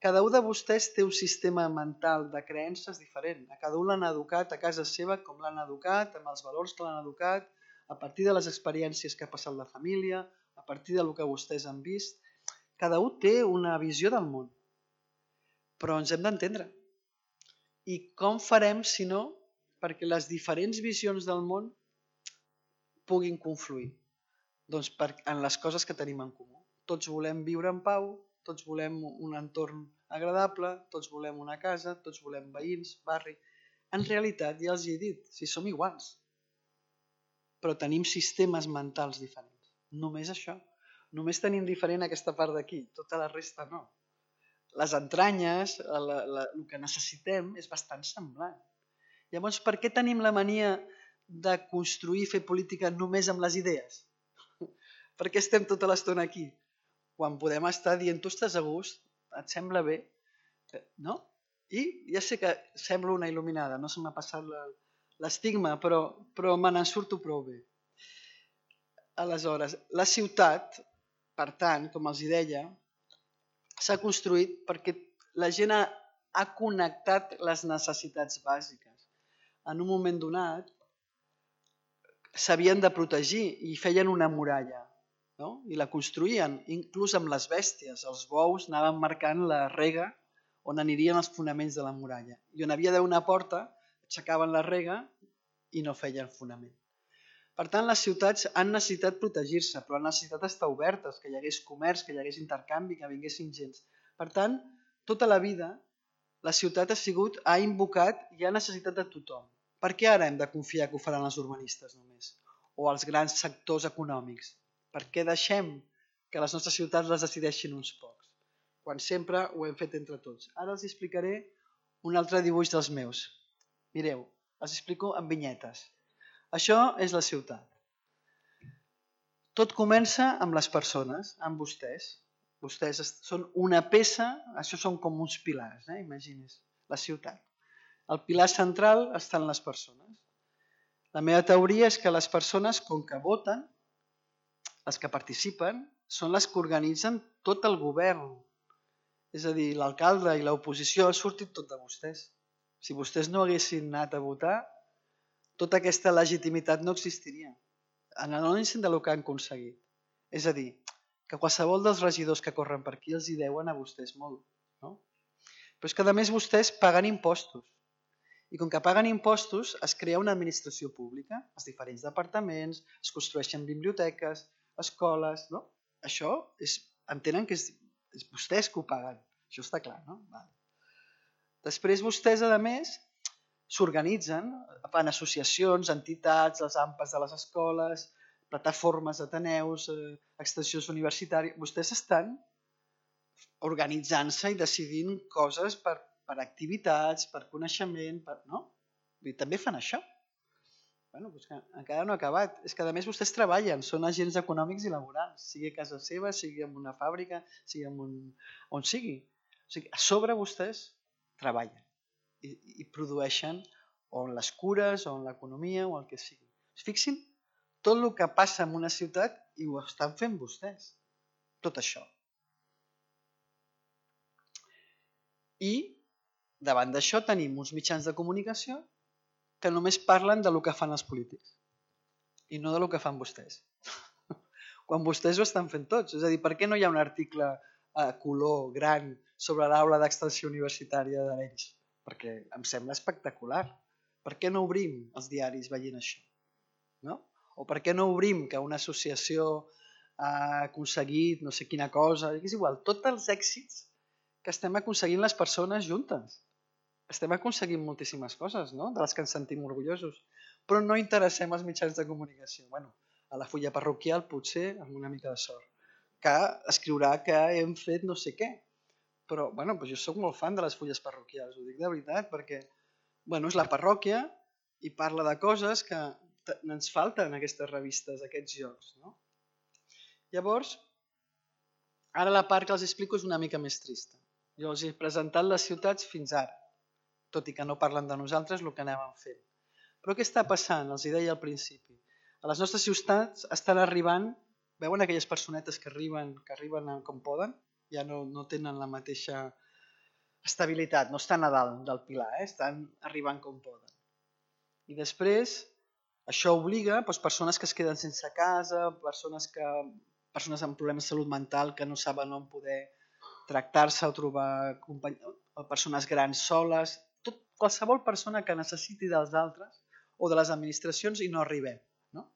Cada un de vostès té un sistema mental de creences diferent. A cada un l'han educat a casa seva com l'han educat, amb els valors que l'han educat, a partir de les experiències que ha passat la família, a partir del que vostès han vist. Cada un té una visió del món, però ens hem d'entendre. I com farem, si no, perquè les diferents visions del món puguin confluir? Doncs en les coses que tenim en comú. Tots volem viure en pau, tots volem un entorn agradable, tots volem una casa, tots volem veïns, barri. En realitat, ja els he dit, si som iguals, però tenim sistemes mentals diferents. Només això. Només tenim diferent aquesta part d'aquí, tota la resta no. Les entranyes, el que necessitem és bastant semblant. Llavors, per què tenim la mania de construir i fer política només amb les idees? Per què estem tota l'estona aquí? Quan podem estar dient, tu estàs a gust, et sembla bé, no? I ja sé que sembla una il·luminada, no se m'ha passat l'estigma, però me n'en surto prou bé. Aleshores, la ciutat, per tant, com els deia, s'ha construït perquè la gent ha connectat les necessitats bàsiques. En un moment donat s'havien de protegir i feien una muralla, no? I la construïen, inclús amb les bèsties. Els bous anaven marcant la rega on anirien els fonaments de la muralla. I on havia d'haver una porta, aixecaven la rega i no feien fonament. Per tant, les ciutats han necessitat protegir-se, però han necessitat estar obertes, que hi hagués comerç, que hi hagués intercanvi, que vinguessin gens. Per tant, tota la vida, la ciutat ha invocat i ha necessitat de tothom. Per què ara hem de confiar que ho faran els urbanistes només? O els grans sectors econòmics? Per què deixem que les nostres ciutats les decideixin uns pocs? Quan sempre ho hem fet entre tots. Ara els explicaré un altre dibuix dels meus. Mireu, els explico en vinyetes. Això és la ciutat. Tot comença amb les persones, amb vostès. Vostès són una peça, això són com uns pilars, imagines, la ciutat. El pilar central estan les persones. La meva teoria és que les persones, com que voten, les que participen, són les que organitzen tot el govern. És a dir, l'alcalde i l'oposició ha sortit tot de vostès. Si vostès no haguessin anat a votar, tota aquesta legitimitat no existiria. Analitzen del que han aconseguit. És a dir, que qualsevol dels regidors que corren per aquí els hi deuen a vostès molt. No? Però és que a més vostès paguen impostos. I com que paguen impostos es crea una administració pública, els diferents departaments, es construeixen biblioteques, escoles... No? Això entenen que és vostès que ho paguen. Això està clar, no? Vale. Després vostès, a més, s'organitzen en associacions, entitats, els AMPAs de les escoles, plataformes d'ateneus, extensions universitàries. Vostès estan organitzant-se i decidint coses per activitats, per coneixement, no? I també fan això. Bueno, doncs que encara no ha acabat. És que a més vostès treballen, són agents econòmics i laborals, sigui a casa seva, sigui en una fàbrica, sigui on sigui. O sigui, a sobre vostès treballen i produeixen o en les cures, o en l'economia, o el que sigui. Fixin tot el que passa en una ciutat i ho estan fent vostès. Tot això. I davant d'això tenim uns mitjans de comunicació que només parlen del que fan els polítics i no del que fan vostès. Quan vostès ho estan fent tots. És a dir, per què no hi ha un article a color gran sobre l'aula d'extensió universitària d'Arenys? Perquè em sembla espectacular. Per què no obrim els diaris veient això? No? O per què no obrim que una associació ha aconseguit no sé quina cosa? És igual, tots els èxits que estem aconseguint les persones juntes. Estem aconseguint moltíssimes coses, no? De les que ens sentim orgullosos. Però no interessem els mitjans de comunicació. Bueno, a la fulla parroquial potser amb una mica de sort. Que escriurà que hem fet no sé què. Però bueno, jo soc molt fan de les fulles parroquials, ho dic de veritat, perquè és la parròquia i parla de coses que ens falten en aquestes revistes, aquests jocs. No? Llavors, ara la part que els explico és una mica més trista. Jo els he presentat les ciutats fins ara, tot i que no parlen de nosaltres el que anàvem fent. Però què està passant? Els hi deia al principi. A les nostres ciutats estan arribant, veuen aquelles personetes que arriben com poden? Ja no tenen la mateixa estabilitat, no estan a dalt del pilar, estan arribant com poden. I després, això obliga persones que es queden sense casa, persones amb problemes de salut mental que no saben on poder tractar-se o trobar persones grans soles, qualsevol persona que necessiti dels altres o de les administracions i no arribem. No?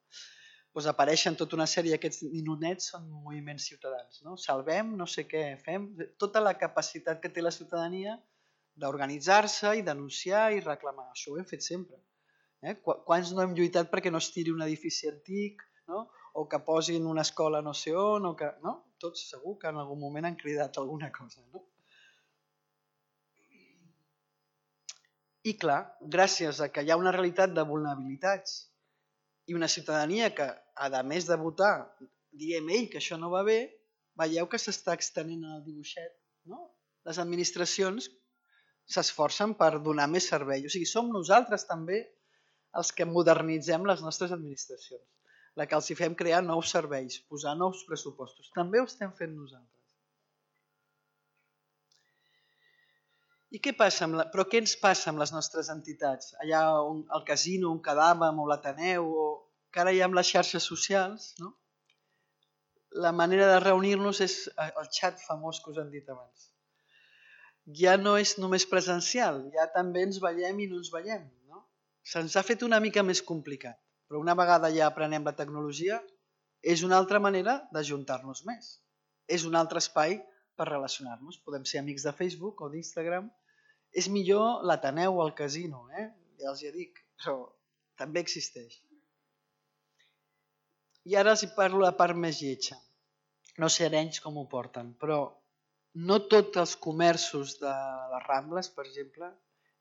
doncs apareixen tota una sèrie d'aquests ninonets, són moviments ciutadans. No? Salvem, no sé què, fem... Tota la capacitat que té la ciutadania d'organitzar-se i denunciar i reclamar. Això ho hem fet sempre. Quants no hem lluitat perquè no es tiri un edifici antic, no? O que posin una escola no sé on, o que... no? Tots segur que en algun moment han cridat alguna cosa. No? I clar, gràcies a que hi ha una realitat de vulnerabilitats i una ciutadania que, a més de votar, diem que això no va bé, veieu que s'està extenent el dibuixet. No? Les administracions s'esforcen per donar més servei. O sigui, som nosaltres també els que modernitzem les nostres administracions, la que els hi fem crear nous serveis, posar nous pressupostos. També ho estem fent nosaltres. I què passa? Però què ens passa amb les nostres entitats? Allà on el casino on quedàvem, o l'Ateneu, o que ara hi ha amb les xarxes socials, no? La manera de reunir-nos és el xat famós que us han dit abans. Ja no és només presencial, ja també ens veiem i no ens veiem. No? Se'ns ha fet una mica més complicat, però una vegada ja aprenem la tecnologia, és una altra manera d'ajuntar-nos més. És un altre espai per relacionar-nos. Podem ser amics de Facebook o d'Instagram. És millor l'Ateneu o el casino, ja els hi dic, però també existeix. I ara els parlo la part més lletja. No sé arenys com ho porten, però no tots els comerços de les Rambles, per exemple,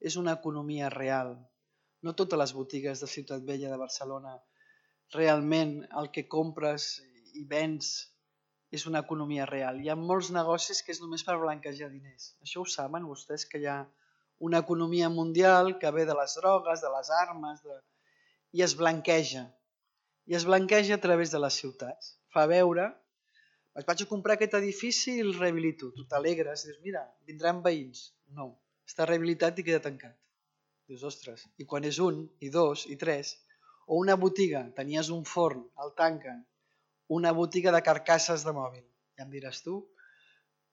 és una economia real. No totes les botigues de Ciutat Vella de Barcelona realment el que compres i vens és una economia real. Hi ha molts negocis que és només per blanquejar diners. Això ho saben vostès, que hi ha una economia mundial que ve de les drogues, de les armes, i es blanqueja. I es blanqueja a través de les ciutats. Fa veure, vaig a comprar aquest edifici i el rehabilito. Tu t'alegres, dius, mira, vindran veïns. No, està rehabilitat i queda tancat. Dius, ostres, i quan és un, i dos, i tres, o una botiga, tenies un forn, el tanquen, una botiga de carcasses de mòbil. Ja em diràs tu,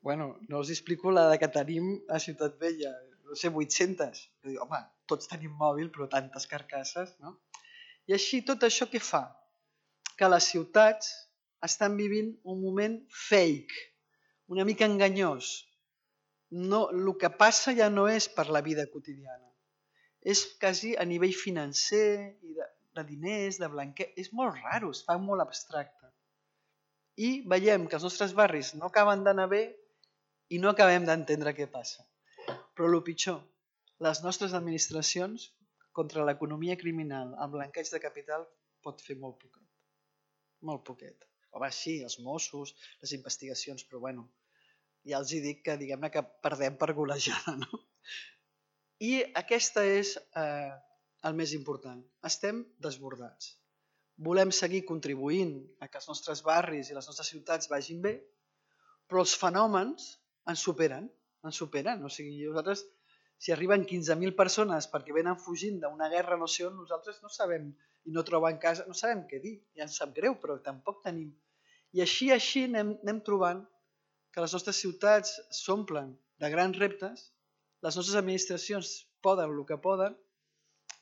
bueno, no us explico la que tenim a Ciutat Vella, no sé, 800. Jo dic, home, tots tenim mòbil, però tantes carcasses, no? I així, tot això què fa? Que les ciutats estan vivint un moment fake, una mica enganyós. No, el que passa ja no és per la vida quotidiana. És quasi a nivell financer, i de diners, de blanquer. És molt raro, es fa molt abstracte. I veiem que els nostres barris no acaben d'anar bé i no acabem d'entendre què passa. Però el pitjor, les nostres administracions contra l'economia criminal, el blanqueig de capital, pot fer molt poquet. Molt poquet. Home, sí, els Mossos, les investigacions, però bueno, ja els dic que diguem-ne que perdem per golejada, no? I aquesta és el més important. Estem desbordats. Volem seguir contribuint a que els nostres barris i les nostres ciutats vagin bé, però els fenòmens ens superen. O sigui, nosaltres, si arriben 15.000 persones perquè venen fugint d'una guerra no sé on, nosaltres no sabem i no troben casa, no sabem què dir. Ja ens sap greu, però tampoc tenim. I així anem trobant que les nostres ciutats s'omplen de grans reptes, les nostres administracions poden el que poden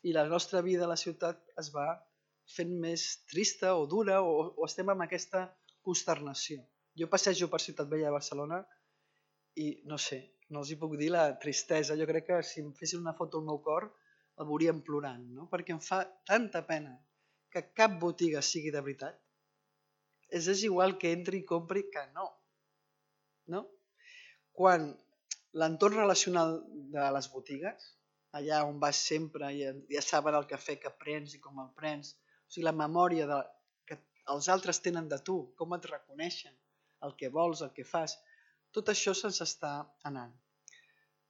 i la nostra vida a la ciutat es va fent més trista o dura o estem amb aquesta consternació. Jo passejo per Ciutat Vella de Barcelona i no sé, no els hi puc dir la tristesa. Jo crec que si em fessin una foto al meu cor el veuríem plorant, no? Perquè em fa tanta pena que cap botiga sigui de veritat. És igual que entri i compri que no. Quan l'entorn relacional de les botigues, allà on vas sempre, ja saben el cafè que prens i com el prens, o sigui, la memòria que els altres tenen de tu, com et reconeixen, el que vols, el que fas, tot això se'ns està anant.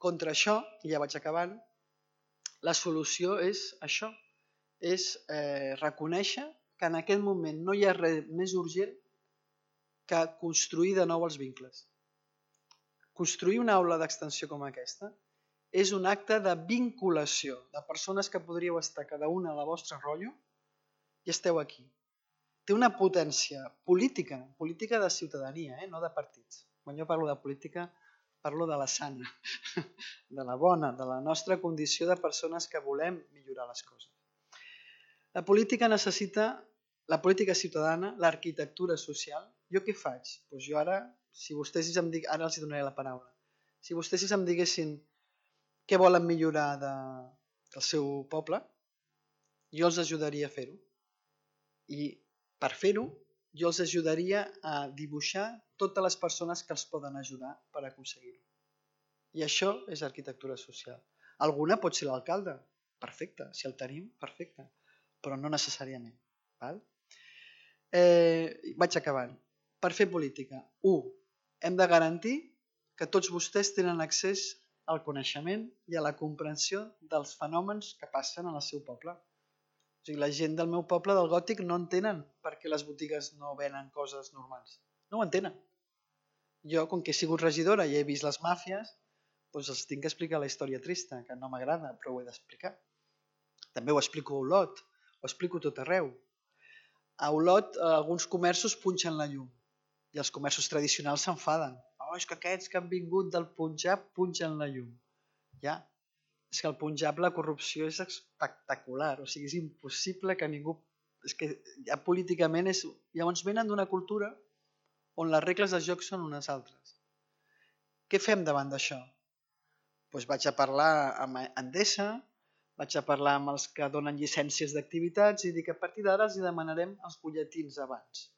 Contra això, i ja vaig acabant, la solució és això, és reconèixer que en aquest moment no hi ha res més urgent que construir de nou els vincles. Construir una aula d'extensió com aquesta és un acte de vinculació de persones que podríeu estar cada una a la vostra rotllo i esteu aquí. Té una potència política de ciutadania, no de partits. Quan jo parlo de política, parlo de la sana, de la bona, de la nostra condició de persones que volem millorar les coses. La política necessita la política ciutadana, l'arquitectura social. Jo què faig? Doncs jo ara, si vostès em diguessin, ara els donaré la paraula, si vostès em diguessin què volen millorar del seu poble, jo els ajudaria a fer-ho. I per fer-ho, jo els ajudaria a dibuixar totes les persones que els poden ajudar per aconseguir-ho. I això és arquitectura social. Alguna pot ser l'alcalde, perfecte, si el tenim, perfecte, però no necessàriament. Val? Vaig acabant. Per fer política, 1. Hem de garantir que tots vostès tenen accés al coneixement i a la comprensió dels fenòmens que passen en el seu poble. O sigui, la gent del meu poble, del Gòtic, no entenen per què les botigues no venen coses normals. No ho entenen. Jo, com que he sigut regidora i he vist les màfies, doncs els tinc que explicar la història trista, que no m'agrada, però ho he d'explicar. També ho explico a Olot, ho explico tot arreu. A Olot alguns comerços punxen la llum i els comerços tradicionals s'enfaden. Oh, és que aquests que han vingut del Punjab punxen la llum. Ja, és que al Punjab la corrupció és espectacular, o sigui, és impossible que ningú... És que ja políticament és... Llavors venen d'una cultura on les regles de joc són unes altres. Què fem davant d'això? Doncs vaig a parlar amb Endesa, vaig a parlar amb els que donen llicències d'activitats i dic que a partir d'ara els demanarem els butlletins abans.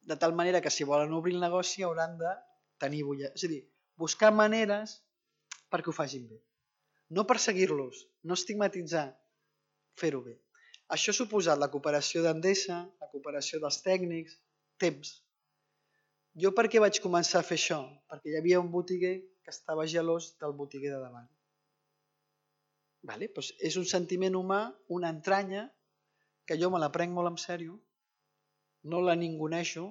De tal manera que si volen obrir el negoci hauran de tenir butlletins. És a dir, buscar maneres perquè ho facin bé. No perseguir-los, no estigmatitzar, fer-ho bé. Això ha suposat la cooperació d'Endesa, la cooperació dels tècnics, temps. Jo per què vaig començar a fer això? Perquè hi havia un botiguer que estava gelós del botiguer de davant. Vale? Doncs és un sentiment humà, una entranya, que jo me la prenc molt en sèrio, no la ninguneixo,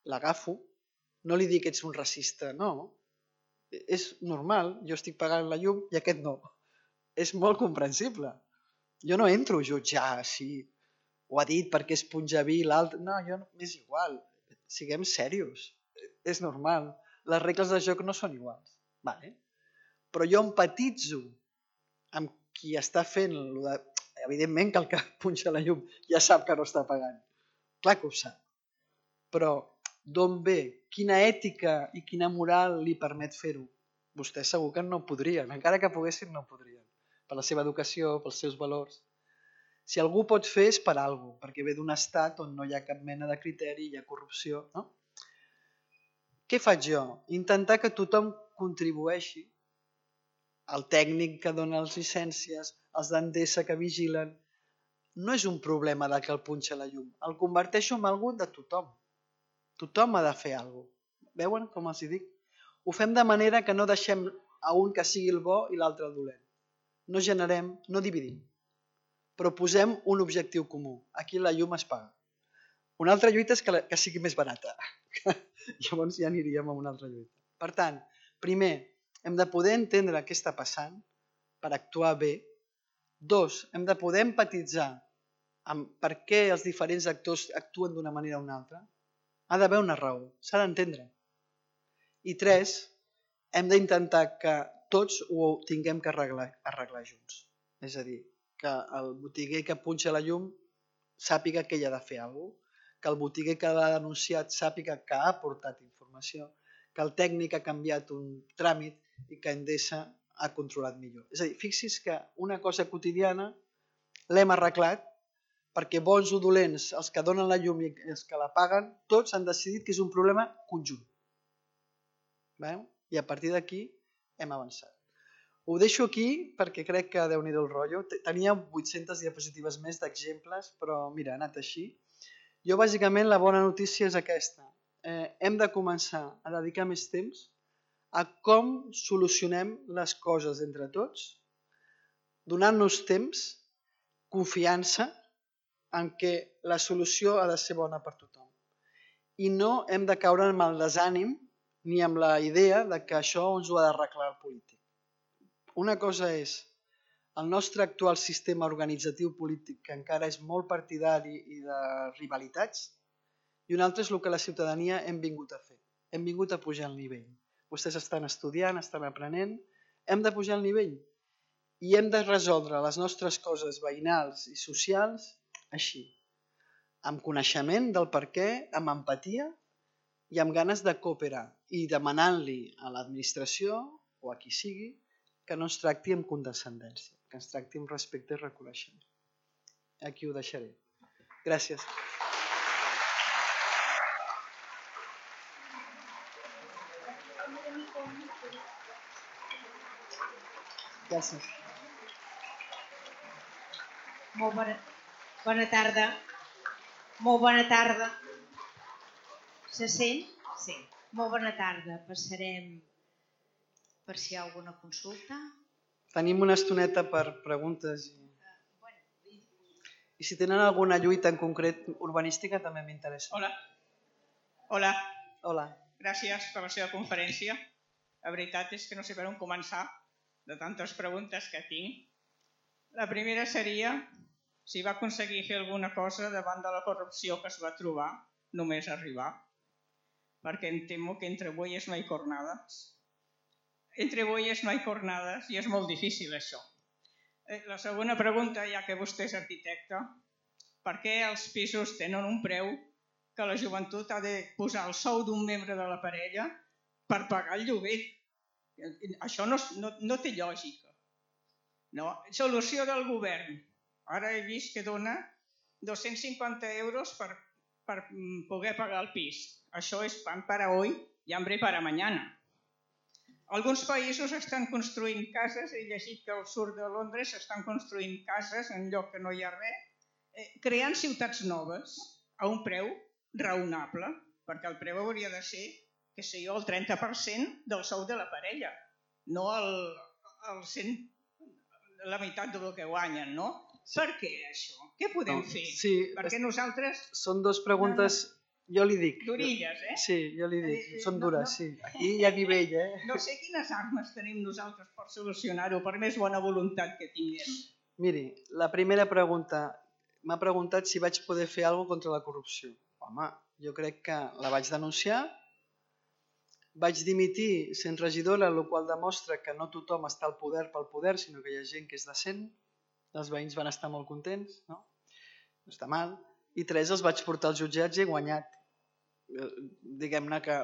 l'agafo, no li dic que ets un racista, no. És normal, jo estic pagant la llum i aquest no. És molt comprensible. Jo no entro a jutjar si ho ha dit perquè és punjabí i l'altre. No, m'és igual. Siguem serios. És normal. Les regles de joc no són iguals. Vale? Però jo empatitzo amb qui està fent... Evidentment que el que punxa la llum ja sap que no està pagant. Clar que ho sap. Però d'on ve? Quina ètica i quina moral li permet fer-ho? Vostès segur que no podrien. Encara que poguessin, no podrien. Per la seva educació, pels seus valors. Si algú pot fer és per alguna cosa, perquè ve d'un estat on no hi ha cap mena de criteri, hi ha corrupció. No? Què faig jo? Intentar que tothom contribueixi, el tècnic que dona les llicències, els d'Endesa que vigilen. No és un problema de que el punxa la llum, el converteixo en algú de tothom. Tothom ha de fer alguna cosa. Veuen com els dic? Ho fem de manera que no deixem a un que sigui el bo i l'altre el dolent. No generem, no dividim, però posem un objectiu comú. Aquí la llum es paga. Una altra lluita és que sigui més barata. Llavors ja aniríem a una altra lluita. Per tant, primer, hem de poder entendre què està passant per actuar bé. 2, hem de poder empatitzar amb per què els diferents actors actuen d'una manera o una altra. Ha d'haver una raó, s'ha d'entendre. I 3, hem d'intentar que tots ho tinguem que arreglar junts. És a dir, que el botiguer que punxa la llum sàpiga que hi ha de fer alguna cosa, que el botiguer que l'ha denunciat sàpiga que ha aportat informació, que el tècnic ha canviat un tràmit i que Endesa ha controlat millor. És a dir, fixi's que una cosa quotidiana l'hem arreglat perquè bons o dolents, els que donen la llum i els que la paguen, tots han decidit que és un problema conjunt. I a partir d'aquí hem avançat. Ho deixo aquí perquè crec que Déu-n'hi-do el rotllo. Tenia 800 diapositives més d'exemples, però mira, ha anat així. Jo bàsicament la bona notícia és aquesta. Hem de començar a dedicar més temps a com solucionem les coses entre tots, donant-nos temps, confiança en què la solució ha de ser bona per tothom. I no hem de caure en el desànim ni amb la idea de que això ens ho ha d'arreglar el polític. Una cosa és el nostre actual sistema organitzatiu polític, que encara és molt partidari i de rivalitats, i una altra és el que la ciutadania hem vingut a fer. Hem vingut a pujar el nivell. Vostès estan estudiant, estan aprenent, hem de pujar el nivell i hem de resoldre les nostres coses veïnals i socials així, amb coneixement del per què, amb empatia i amb ganes de cooperar i demanant-li a l'administració o a qui sigui que no ens tracti amb condescendència, que ens tracti amb respecte i reconeixement. Aquí ho deixaré. Gràcies. Gràcies. Molt bona tarda. Molt bona tarda. Se sent? Sí. Molt bona tarda. Passarem per si hi ha alguna consulta. Tenim una estoneta per preguntes. I si tenen alguna lluita en concret urbanística també m'interessa. Hola. Hola. Hola. Gràcies per la seva conferència. La veritat és que no sé per on començar de tantes preguntes que tinc. La primera seria si va aconseguir fer alguna cosa davant de la corrupció que es va trobar només arribar. Perquè em temo que entre bueyes no hay cornadas. Entre bueyes no hay cornadas i és molt difícil això. La segona pregunta, ja que vostè és arquitecte, per què els pisos tenen un preu que la joventut ha de posar el sou d'un membre de la parella per pagar el lloguer? Això no té lògica. No. Solució del govern. Ara he vist que dona 250 euros per poder pagar el pis. Això és pan para hoy y hambre para mañana. Alguns països estan construint cases, he llegit que al sud de Londres estan construint cases en lloc que no hi ha res, creant ciutats noves a un preu raonable, perquè el preu hauria de ser, que sé jo, el 30% del sou de la parella, no la meitat del que guanyen, no? Per què això? Què podem fer? Sí, perquè nosaltres... Són dues preguntes... Jo li dic. D'orilles, Sí, jo li dic. Són dures, sí. Aquí hi ha nivell, No sé quines armes tenim nosaltres per solucionar-ho, per més bona voluntat que tinguem. Miri, la primera pregunta m'ha preguntat si vaig poder fer alguna cosa contra la corrupció. Home, jo crec que la vaig denunciar, vaig dimitir sent regidora, el qual demostra que no tothom està al poder pel poder, sinó que hi ha gent que és decent. Els veïns van estar molt contents, no? No està mal. I 3 els vaig portar als jutjats i he guanyat. Diguem-ne que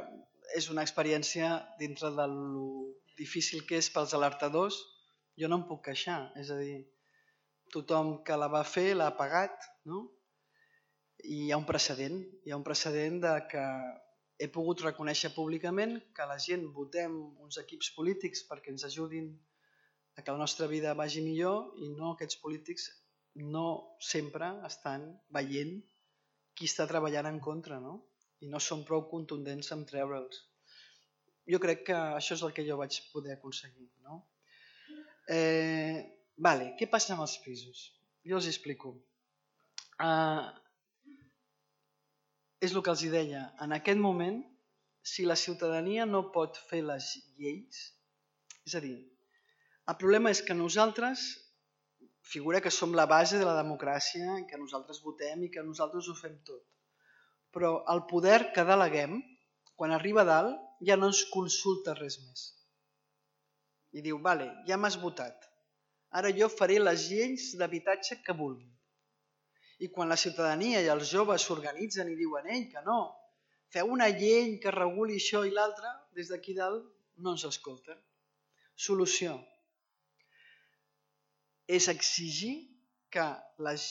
és una experiència dintre de lo difícil que és pels alertadors. Jo no em puc queixar, és a dir, tothom que la va fer l'ha pagat, no? I hi ha un precedent de que he pogut reconèixer públicament que la gent votem uns equips polítics perquè ens ajudin a que la nostra vida vagi millor i no aquests polítics no sempre estan veient qui està treballant en contra, no? I no són prou contundents en treure'ls. Jo crec que això és el que jo vaig poder aconseguir, no? Què passa amb els pisos? Jo els explico. És el que els deia. En aquest moment, si la ciutadania no pot fer les lleis, és a dir, el problema és que nosaltres, figura que som la base de la democràcia, que nosaltres votem i que nosaltres ho fem tot. Però el poder que deleguem, quan arriba a dalt, ja no ens consulta res més. I diu, vale, ja m'has votat. Ara jo faré les lleis d'habitatge que vulgui. I quan la ciutadania i els joves s'organitzen i diuen, que no, feu una llei que reguli això i l'altre, des d'aquí dalt no ens escolten. Solució. És exigir que les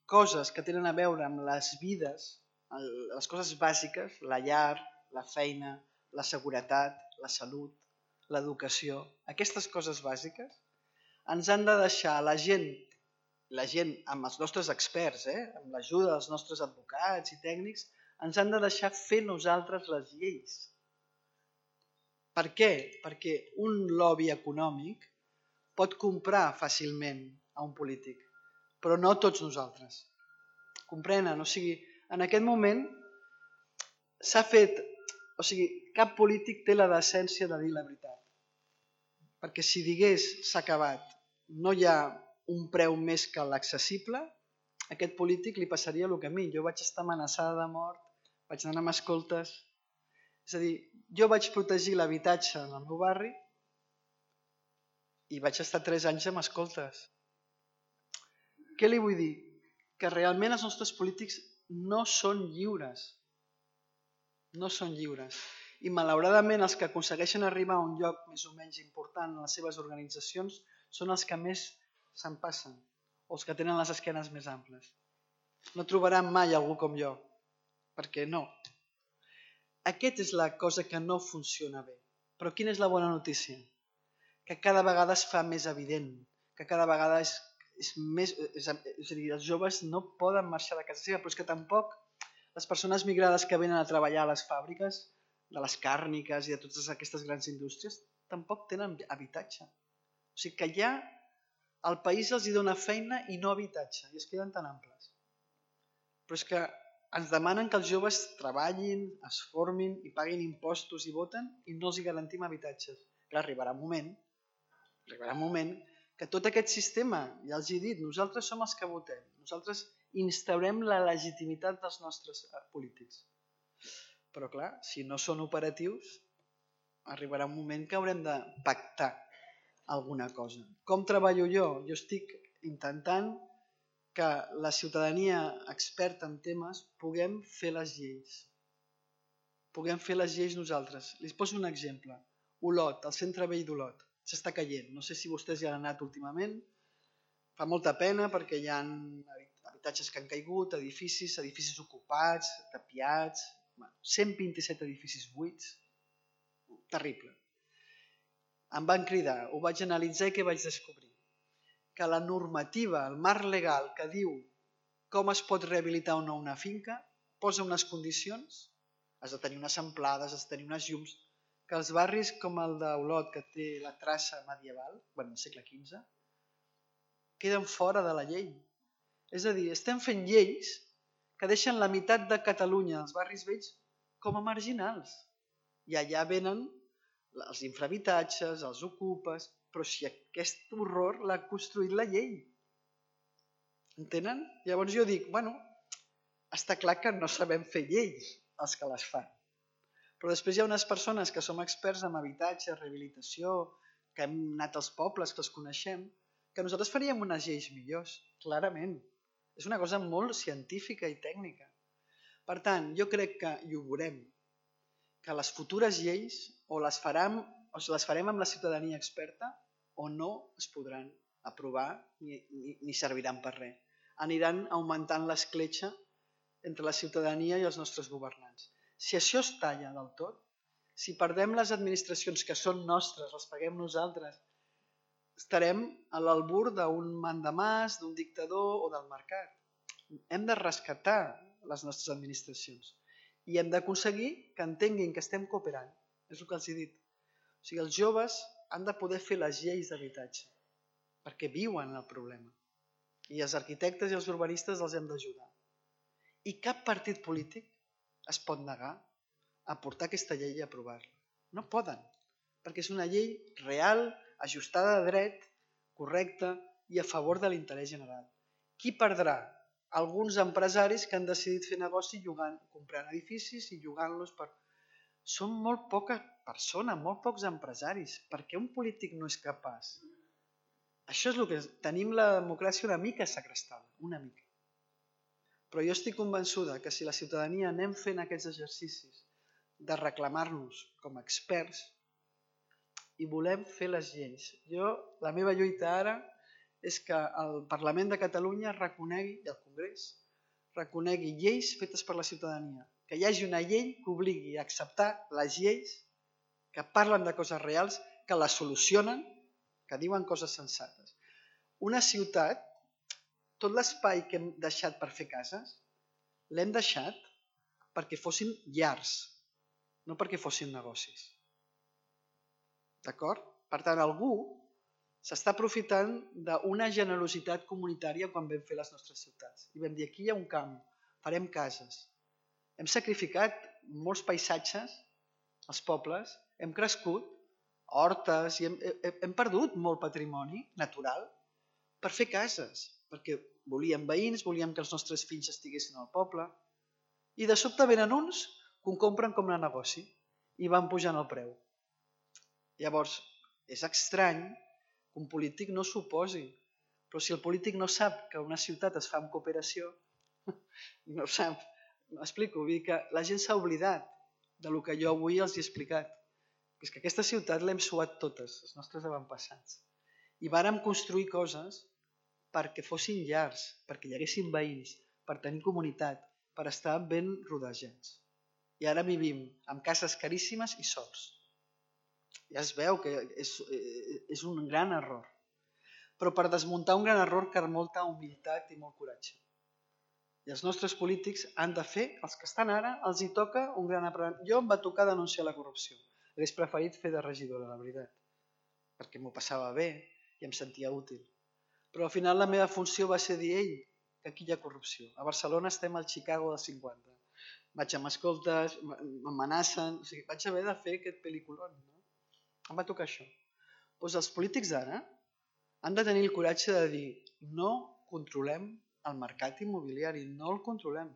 coses que tenen a veure amb les vides, les coses bàsiques, la llar, la feina, la seguretat, la salut, l'educació, aquestes coses bàsiques, ens han de deixar la gent amb els nostres experts, amb l'ajuda dels nostres advocats i tècnics, ens han de deixar fer nosaltres les lleis. Per què? Perquè un lobby econòmic pot comprar fàcilment a un polític, però no tots nosaltres. Comprenen? O sigui, en aquest moment s'ha fet... O sigui, cap polític té la decència de dir la veritat. Perquè si digués s'ha acabat, no hi ha un preu més que l'accessible, a aquest polític li passaria el que a mi. Jo vaig estar amenaçada de mort, vaig anar amb escoltes. És a dir, jo vaig protegir l'habitatge en el meu barri i vaig estar 3 anys amb escoltes. Què li vull dir? Que realment els nostres polítics no són lliures. No són lliures. I malauradament els que aconsegueixen arribar a un lloc més o menys important en les seves organitzacions són els que més se'n passen, o els que tenen les esquenes més amples. No trobaran mai algú com jo, perquè no. Aquesta és la cosa que no funciona bé. Però quina és la bona notícia? Que cada vegada es fa més evident, que cada vegada és més... És a dir, els joves no poden marxar de casa seva, però és que tampoc les persones migrades que venen a treballar a les fàbriques, de les càrniques i de totes aquestes grans indústries, tampoc tenen habitatge. O sigui que ja el país els dona feina i no habitatge, i es queden tan amples. Però és que ens demanen que els joves treballin, es formin i paguin impostos i voten i no els hi garantim habitatges. Clar, arribarà un moment que tot aquest sistema, ja els he dit, nosaltres som els que votem, nosaltres instaurem la legitimitat dels nostres polítics. Però clar, si no són operatius, arribarà un moment que haurem de pactar alguna cosa. Com treballo jo? Jo estic intentant que la ciutadania experta en temes puguem fer les lleis. Puguem fer les lleis nosaltres. Les poso un exemple. Olot, el centre vell d'Olot, s'està caient. No sé si vostès hi han anat últimament. Fa molta pena perquè hi ha habitatges que han caigut, edificis ocupats, tapiats, 127 edificis buits. Terrible. Em van cridar, ho vaig analitzar i què vaig descobrir? Que la normativa, el marc legal que diu com es pot rehabilitar o no una finca, posa unes condicions, has de tenir unes amplades, has de tenir unes llums, que els barris com el d'Olot, que té la traça medieval, del segle XV, queden fora de la llei. És a dir, estem fent lleis que deixen la meitat de Catalunya, els barris vells, com a marginals. I allà venen els infrahabitatges, els ocupes, però si aquest horror l'ha construït la llei. Entenen? Llavors jo dic, està clar que no sabem fer lleis els que les fan. Però després hi ha unes persones que som experts en habitatge, rehabilitació, que hem anat als pobles, que els coneixem, que nosaltres faríem unes lleis millors, clarament. És una cosa molt científica i tècnica. Per tant, jo crec que, i ho veurem, que les futures lleis o les farem amb la ciutadania experta o no es podran aprovar ni serviran per res. Aniran augmentant l'escletxa entre la ciutadania i els nostres governants. Si això es talla del tot, si perdem les administracions que són nostres, les paguem nosaltres, estarem a l'albur d'un mandamàs, d'un dictador o del mercat. Hem de rescatar les nostres administracions i hem d'aconseguir que entenguin que estem cooperant. És el que els he dit. O sigui, els joves han de poder fer les lleis d'habitatge perquè viuen el problema. I els arquitectes i els urbanistes els hem d'ajudar. I cap partit polític es pot negar a portar aquesta llei i aprovar-la. No poden, perquè és una llei real, ajustada a dret, correcta i a favor de l'interès general. Qui perdrà? Alguns empresaris que han decidit fer negoci comprant edificis i llogant-los per... Són molt poques persones, molt pocs empresaris. Per què un polític no és capaç? Això és el que... Tenim la democràcia una mica segrestada, una mica. Però jo estic convençuda que si la ciutadania anem fent aquests exercicis de reclamar-nos com a experts i volem fer les lleis. La meva lluita ara és que el Parlament de Catalunya reconegui, i el Congrés, reconegui lleis fetes per la ciutadania. Que hi hagi una llei que obligui a acceptar les lleis que parlen de coses reals, que les solucionen, que diuen coses sensates. Una ciutat, tot l'espai que hem deixat per fer cases, l'hem deixat perquè fossin llars, no perquè fossin negocis. D'acord? Per tant, algú s'està aprofitant d'una generositat comunitària quan vam fer les nostres ciutats. I vam dir, aquí hi ha un camp, farem cases. Hem sacrificat molts paisatges, els pobles, hem crescut, hortes, i hem perdut molt patrimoni natural per fer cases, perquè volíem veïns, volíem que els nostres fills estiguessin al poble, i de sobte venen uns que ho compren com a negoci i van pujant el preu. Llavors, és estrany que un polític no s'oposi, però si el polític no sap que una ciutat es fa amb cooperació, No sap. M'explico, vull dir que la gent s'ha oblidat del que jo avui els he explicat. És que aquesta ciutat l'hem suat totes, els nostres avantpassats. I vàrem construir coses perquè fossin llars, perquè hi haguessin veïns, per tenir comunitat, per estar ben rodejats. I ara vivim amb cases caríssimes i sols. Ja es veu que és un gran error. Però per desmuntar un gran error cal molta humilitat i molt coratge. I els nostres polítics han de fer, els que estan ara, els hi toca un gran aprenentatge. Jo em va tocar denunciar la corrupció. Hauria preferit fer de regidora, la veritat, perquè m'ho passava bé i em sentia útil. Però al final la meva funció va ser dir, ei, que aquí hi ha corrupció. A Barcelona estem al Chicago dels 50. Vaig amb escoltes, m'amenacen, o sigui, vaig haver de fer aquest pel·lículon. No? Em va tocar això. Doncs els polítics d'ara han de tenir el coratge de dir no controlem el mercat immobiliari, no el controlem.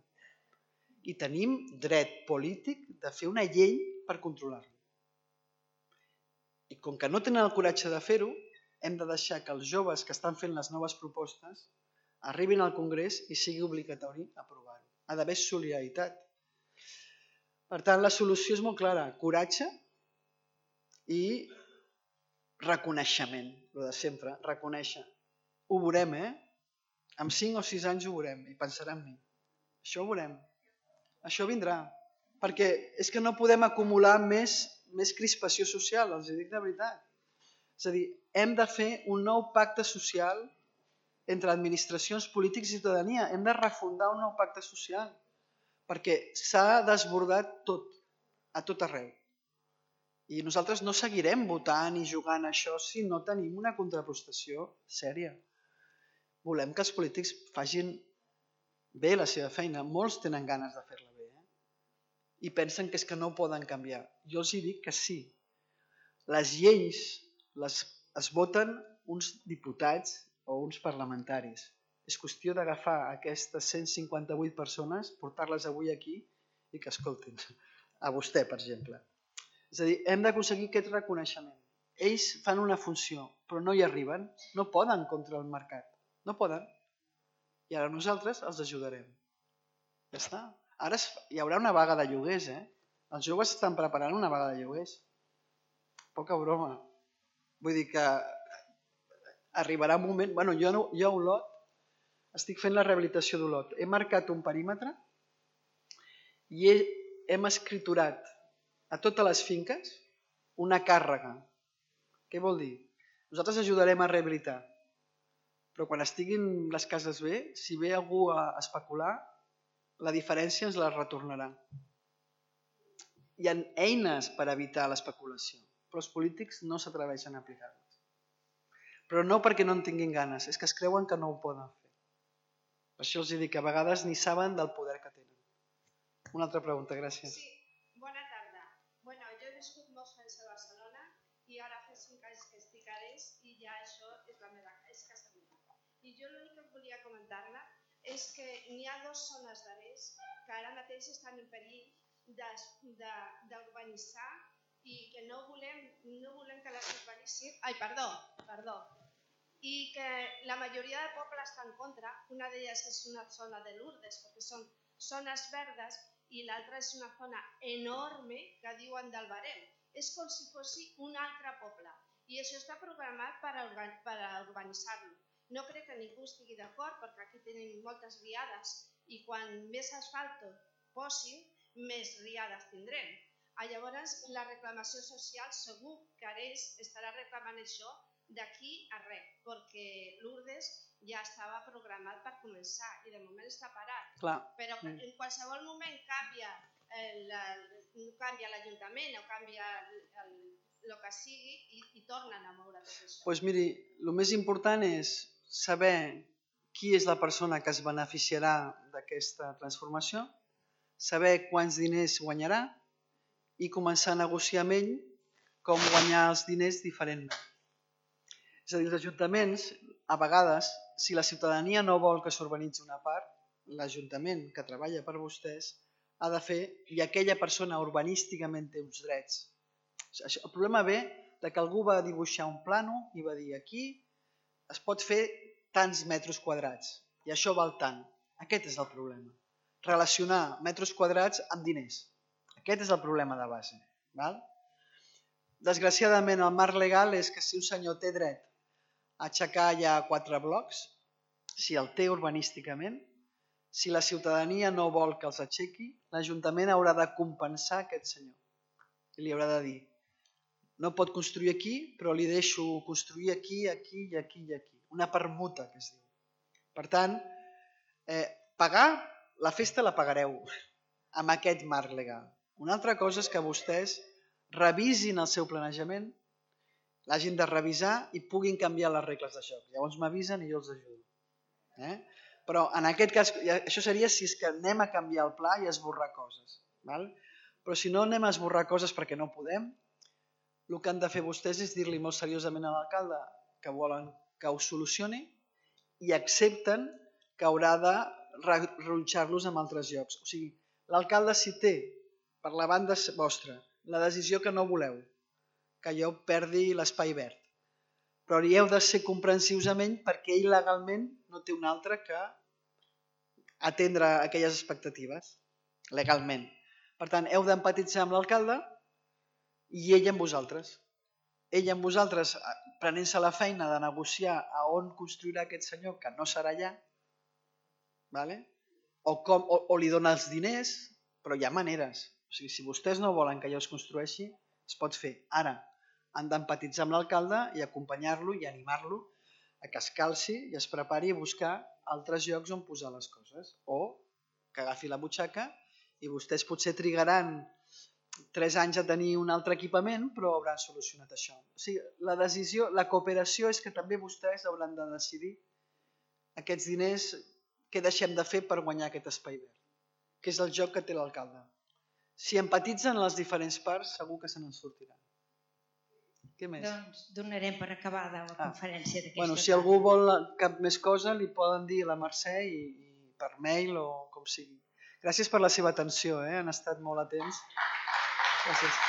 I tenim dret polític de fer una llei per controlar-lo. I com que no tenen el coratge de fer-ho, hem de deixar que els joves que estan fent les noves propostes arribin al Congrés i sigui obligatori aprovar-ho. Ha d'haver solidaritat. Per tant, la solució és molt clara. Coratge i reconeixement. El de sempre, reconèixer. Ho veurem, En 5 o 6 anys ho veurem i pensarà en mi. Això ho veurem. Això vindrà. Perquè és que no podem acumular més crispació social, els dic de veritat. És a dir, hem de fer un nou pacte social entre administracions, polítics i ciutadania. Hem de refundar un nou pacte social perquè s'ha desbordat tot, a tot arreu. I nosaltres no seguirem votant i jugant a això si no tenim una contraprestació sèria. Volem que els polítics facin bé la seva feina. Molts tenen ganes de fer-la bé. I pensen que és que no poden canviar. Jo els dic que sí. Les lleis es voten uns diputats o uns parlamentaris. És qüestió d'agafar aquestes 158 persones, portar-les avui aquí i que escoltin. A vostè, per exemple. És a dir, hem d'aconseguir aquest reconeixement. Ells fan una funció, però no hi arriben. No poden contra el mercat. No poden. I ara nosaltres els ajudarem. Ja està. Ara hi haurà una vaga de lloguers, Els joves estan preparant una vaga de lloguers. Poca broma. Vull dir que arribarà un moment... Bueno, jo a Olot estic fent la rehabilitació d'Olot. He marcat un perímetre i hem escriturat a totes les finques una càrrega. Què vol dir? Nosaltres ajudarem a rehabilitar. Però quan estiguin les cases bé, si ve algú a especular, la diferència ens la retornarà. Hi ha eines per evitar l'especulació, però els polítics no s'atreveixen a aplicar-les. Però no perquè no en tinguin ganes, és que es creuen que no ho poden fer. Per això els dic que a vegades ni saben del poder que tenen. Una altra pregunta, gràcies. Sí, bona tarda. Bueno, jo he viscut molts anys a Barcelona i ara fa 5 anys que estic a l'Eix i ja això és la meva casa meva. I jo l'únic que volia comentar-la és que n'hi ha 2 zones de l'Eix que ara mateix estan en perill d'urbanitzar i que no volem que les urbanissin. Ai, perdó. I que la majoria del poble està en contra. Una d'elles és una zona de Lourdes, perquè són zones verdes, i l'altra és una zona enorme que diuen del Barem. És com si fos un altre poble. I això està programat per urbanitzar-lo. No crec que ningú estigui d'acord perquè aquí tenim moltes riades i quan més asfalt posin, més riades tindrem. Llavors, la reclamació social segur que Ares estarà reclamant això d'aquí a res, perquè Lourdes ja estava programat per començar i de moment està parat. Però en qualsevol moment canvia l'Ajuntament o canvia el que sigui i tornen a moure tot això. Doncs miri, el més important és saber qui és la persona que es beneficiarà d'aquesta transformació, saber quants diners guanyarà i començar a negociar amb ell com guanyar els diners diferentment. És a dir, els ajuntaments, a vegades, si la ciutadania no vol que s'urbanitzi una part, l'Ajuntament que treballa per vostès ha de fer, i aquella persona urbanísticament té uns drets. El problema ve que algú va dibuixar un plano i va dir aquí es pot fer tants metres quadrats i això val tant. Aquest és el problema. Relacionar metres quadrats amb diners. Aquest és el problema de base. Val? Desgraciadament, el marc legal és que si un senyor té dret a aixecar ja 4 blocs, si el té urbanísticament, si la ciutadania no vol que els aixequi, l'Ajuntament haurà de compensar aquest senyor. I li haurà de dir, no pot construir aquí, però li deixo construir aquí, aquí i aquí i aquí. Una permuta, que es diu. Per tant, pagar, la festa la pagareu amb aquest marc legal. Una altra cosa és que vostès revisin el seu planejament, l'hagin de revisar i puguin canviar les regles de joc. Llavors m'avisen i jo els ajudo. Però en aquest cas, això seria si és que anem a canviar el pla i a esborrar coses. Però si no anem a esborrar coses perquè no podem, el que han de fer vostès és dir-li molt seriosament a l'alcalde que volen que ho solucioni i accepten que haurà de rebutjar-los en altres llocs. O sigui, l'alcalde si té, per la banda vostra, la decisió que no voleu, que jo perdi l'espai verd, però hi heu de ser comprensius amb ell perquè ell legalment no té un altre que atendre aquelles expectatives, legalment. Per tant, heu d'empatitzar amb l'alcalde i ell amb vosaltres. Ell amb vosaltres prenent-se la feina de negociar a on construirà aquest senyor, que no serà allà, o li dona els diners, però hi ha maneres. O sigui, si vostès no volen que allò es construeixi, es pot fer. Ara, han d'empatitzar amb l'alcalde i acompanyar-lo i animar-lo a que es calci i es prepari a buscar altres llocs on posar les coses. O que agafi la butxaca i vostès potser trigaran 3 anys a tenir un altre equipament, però hauran solucionat això. O sigui, la cooperació és que també vostès hauran de decidir aquests diners, què deixem de fer per guanyar aquest espai verd, que és el joc que té l'alcalde. Si empatitzen les diferents parts, segur que se n'en sortiran. Què més? Doncs donarem per acabada la conferència d'aquesta tarda. Si algú vol cap més cosa, li poden dir a la Mercè i per mail o com sigui. Gràcies per la seva atenció, han estat molt atents. Gràcies.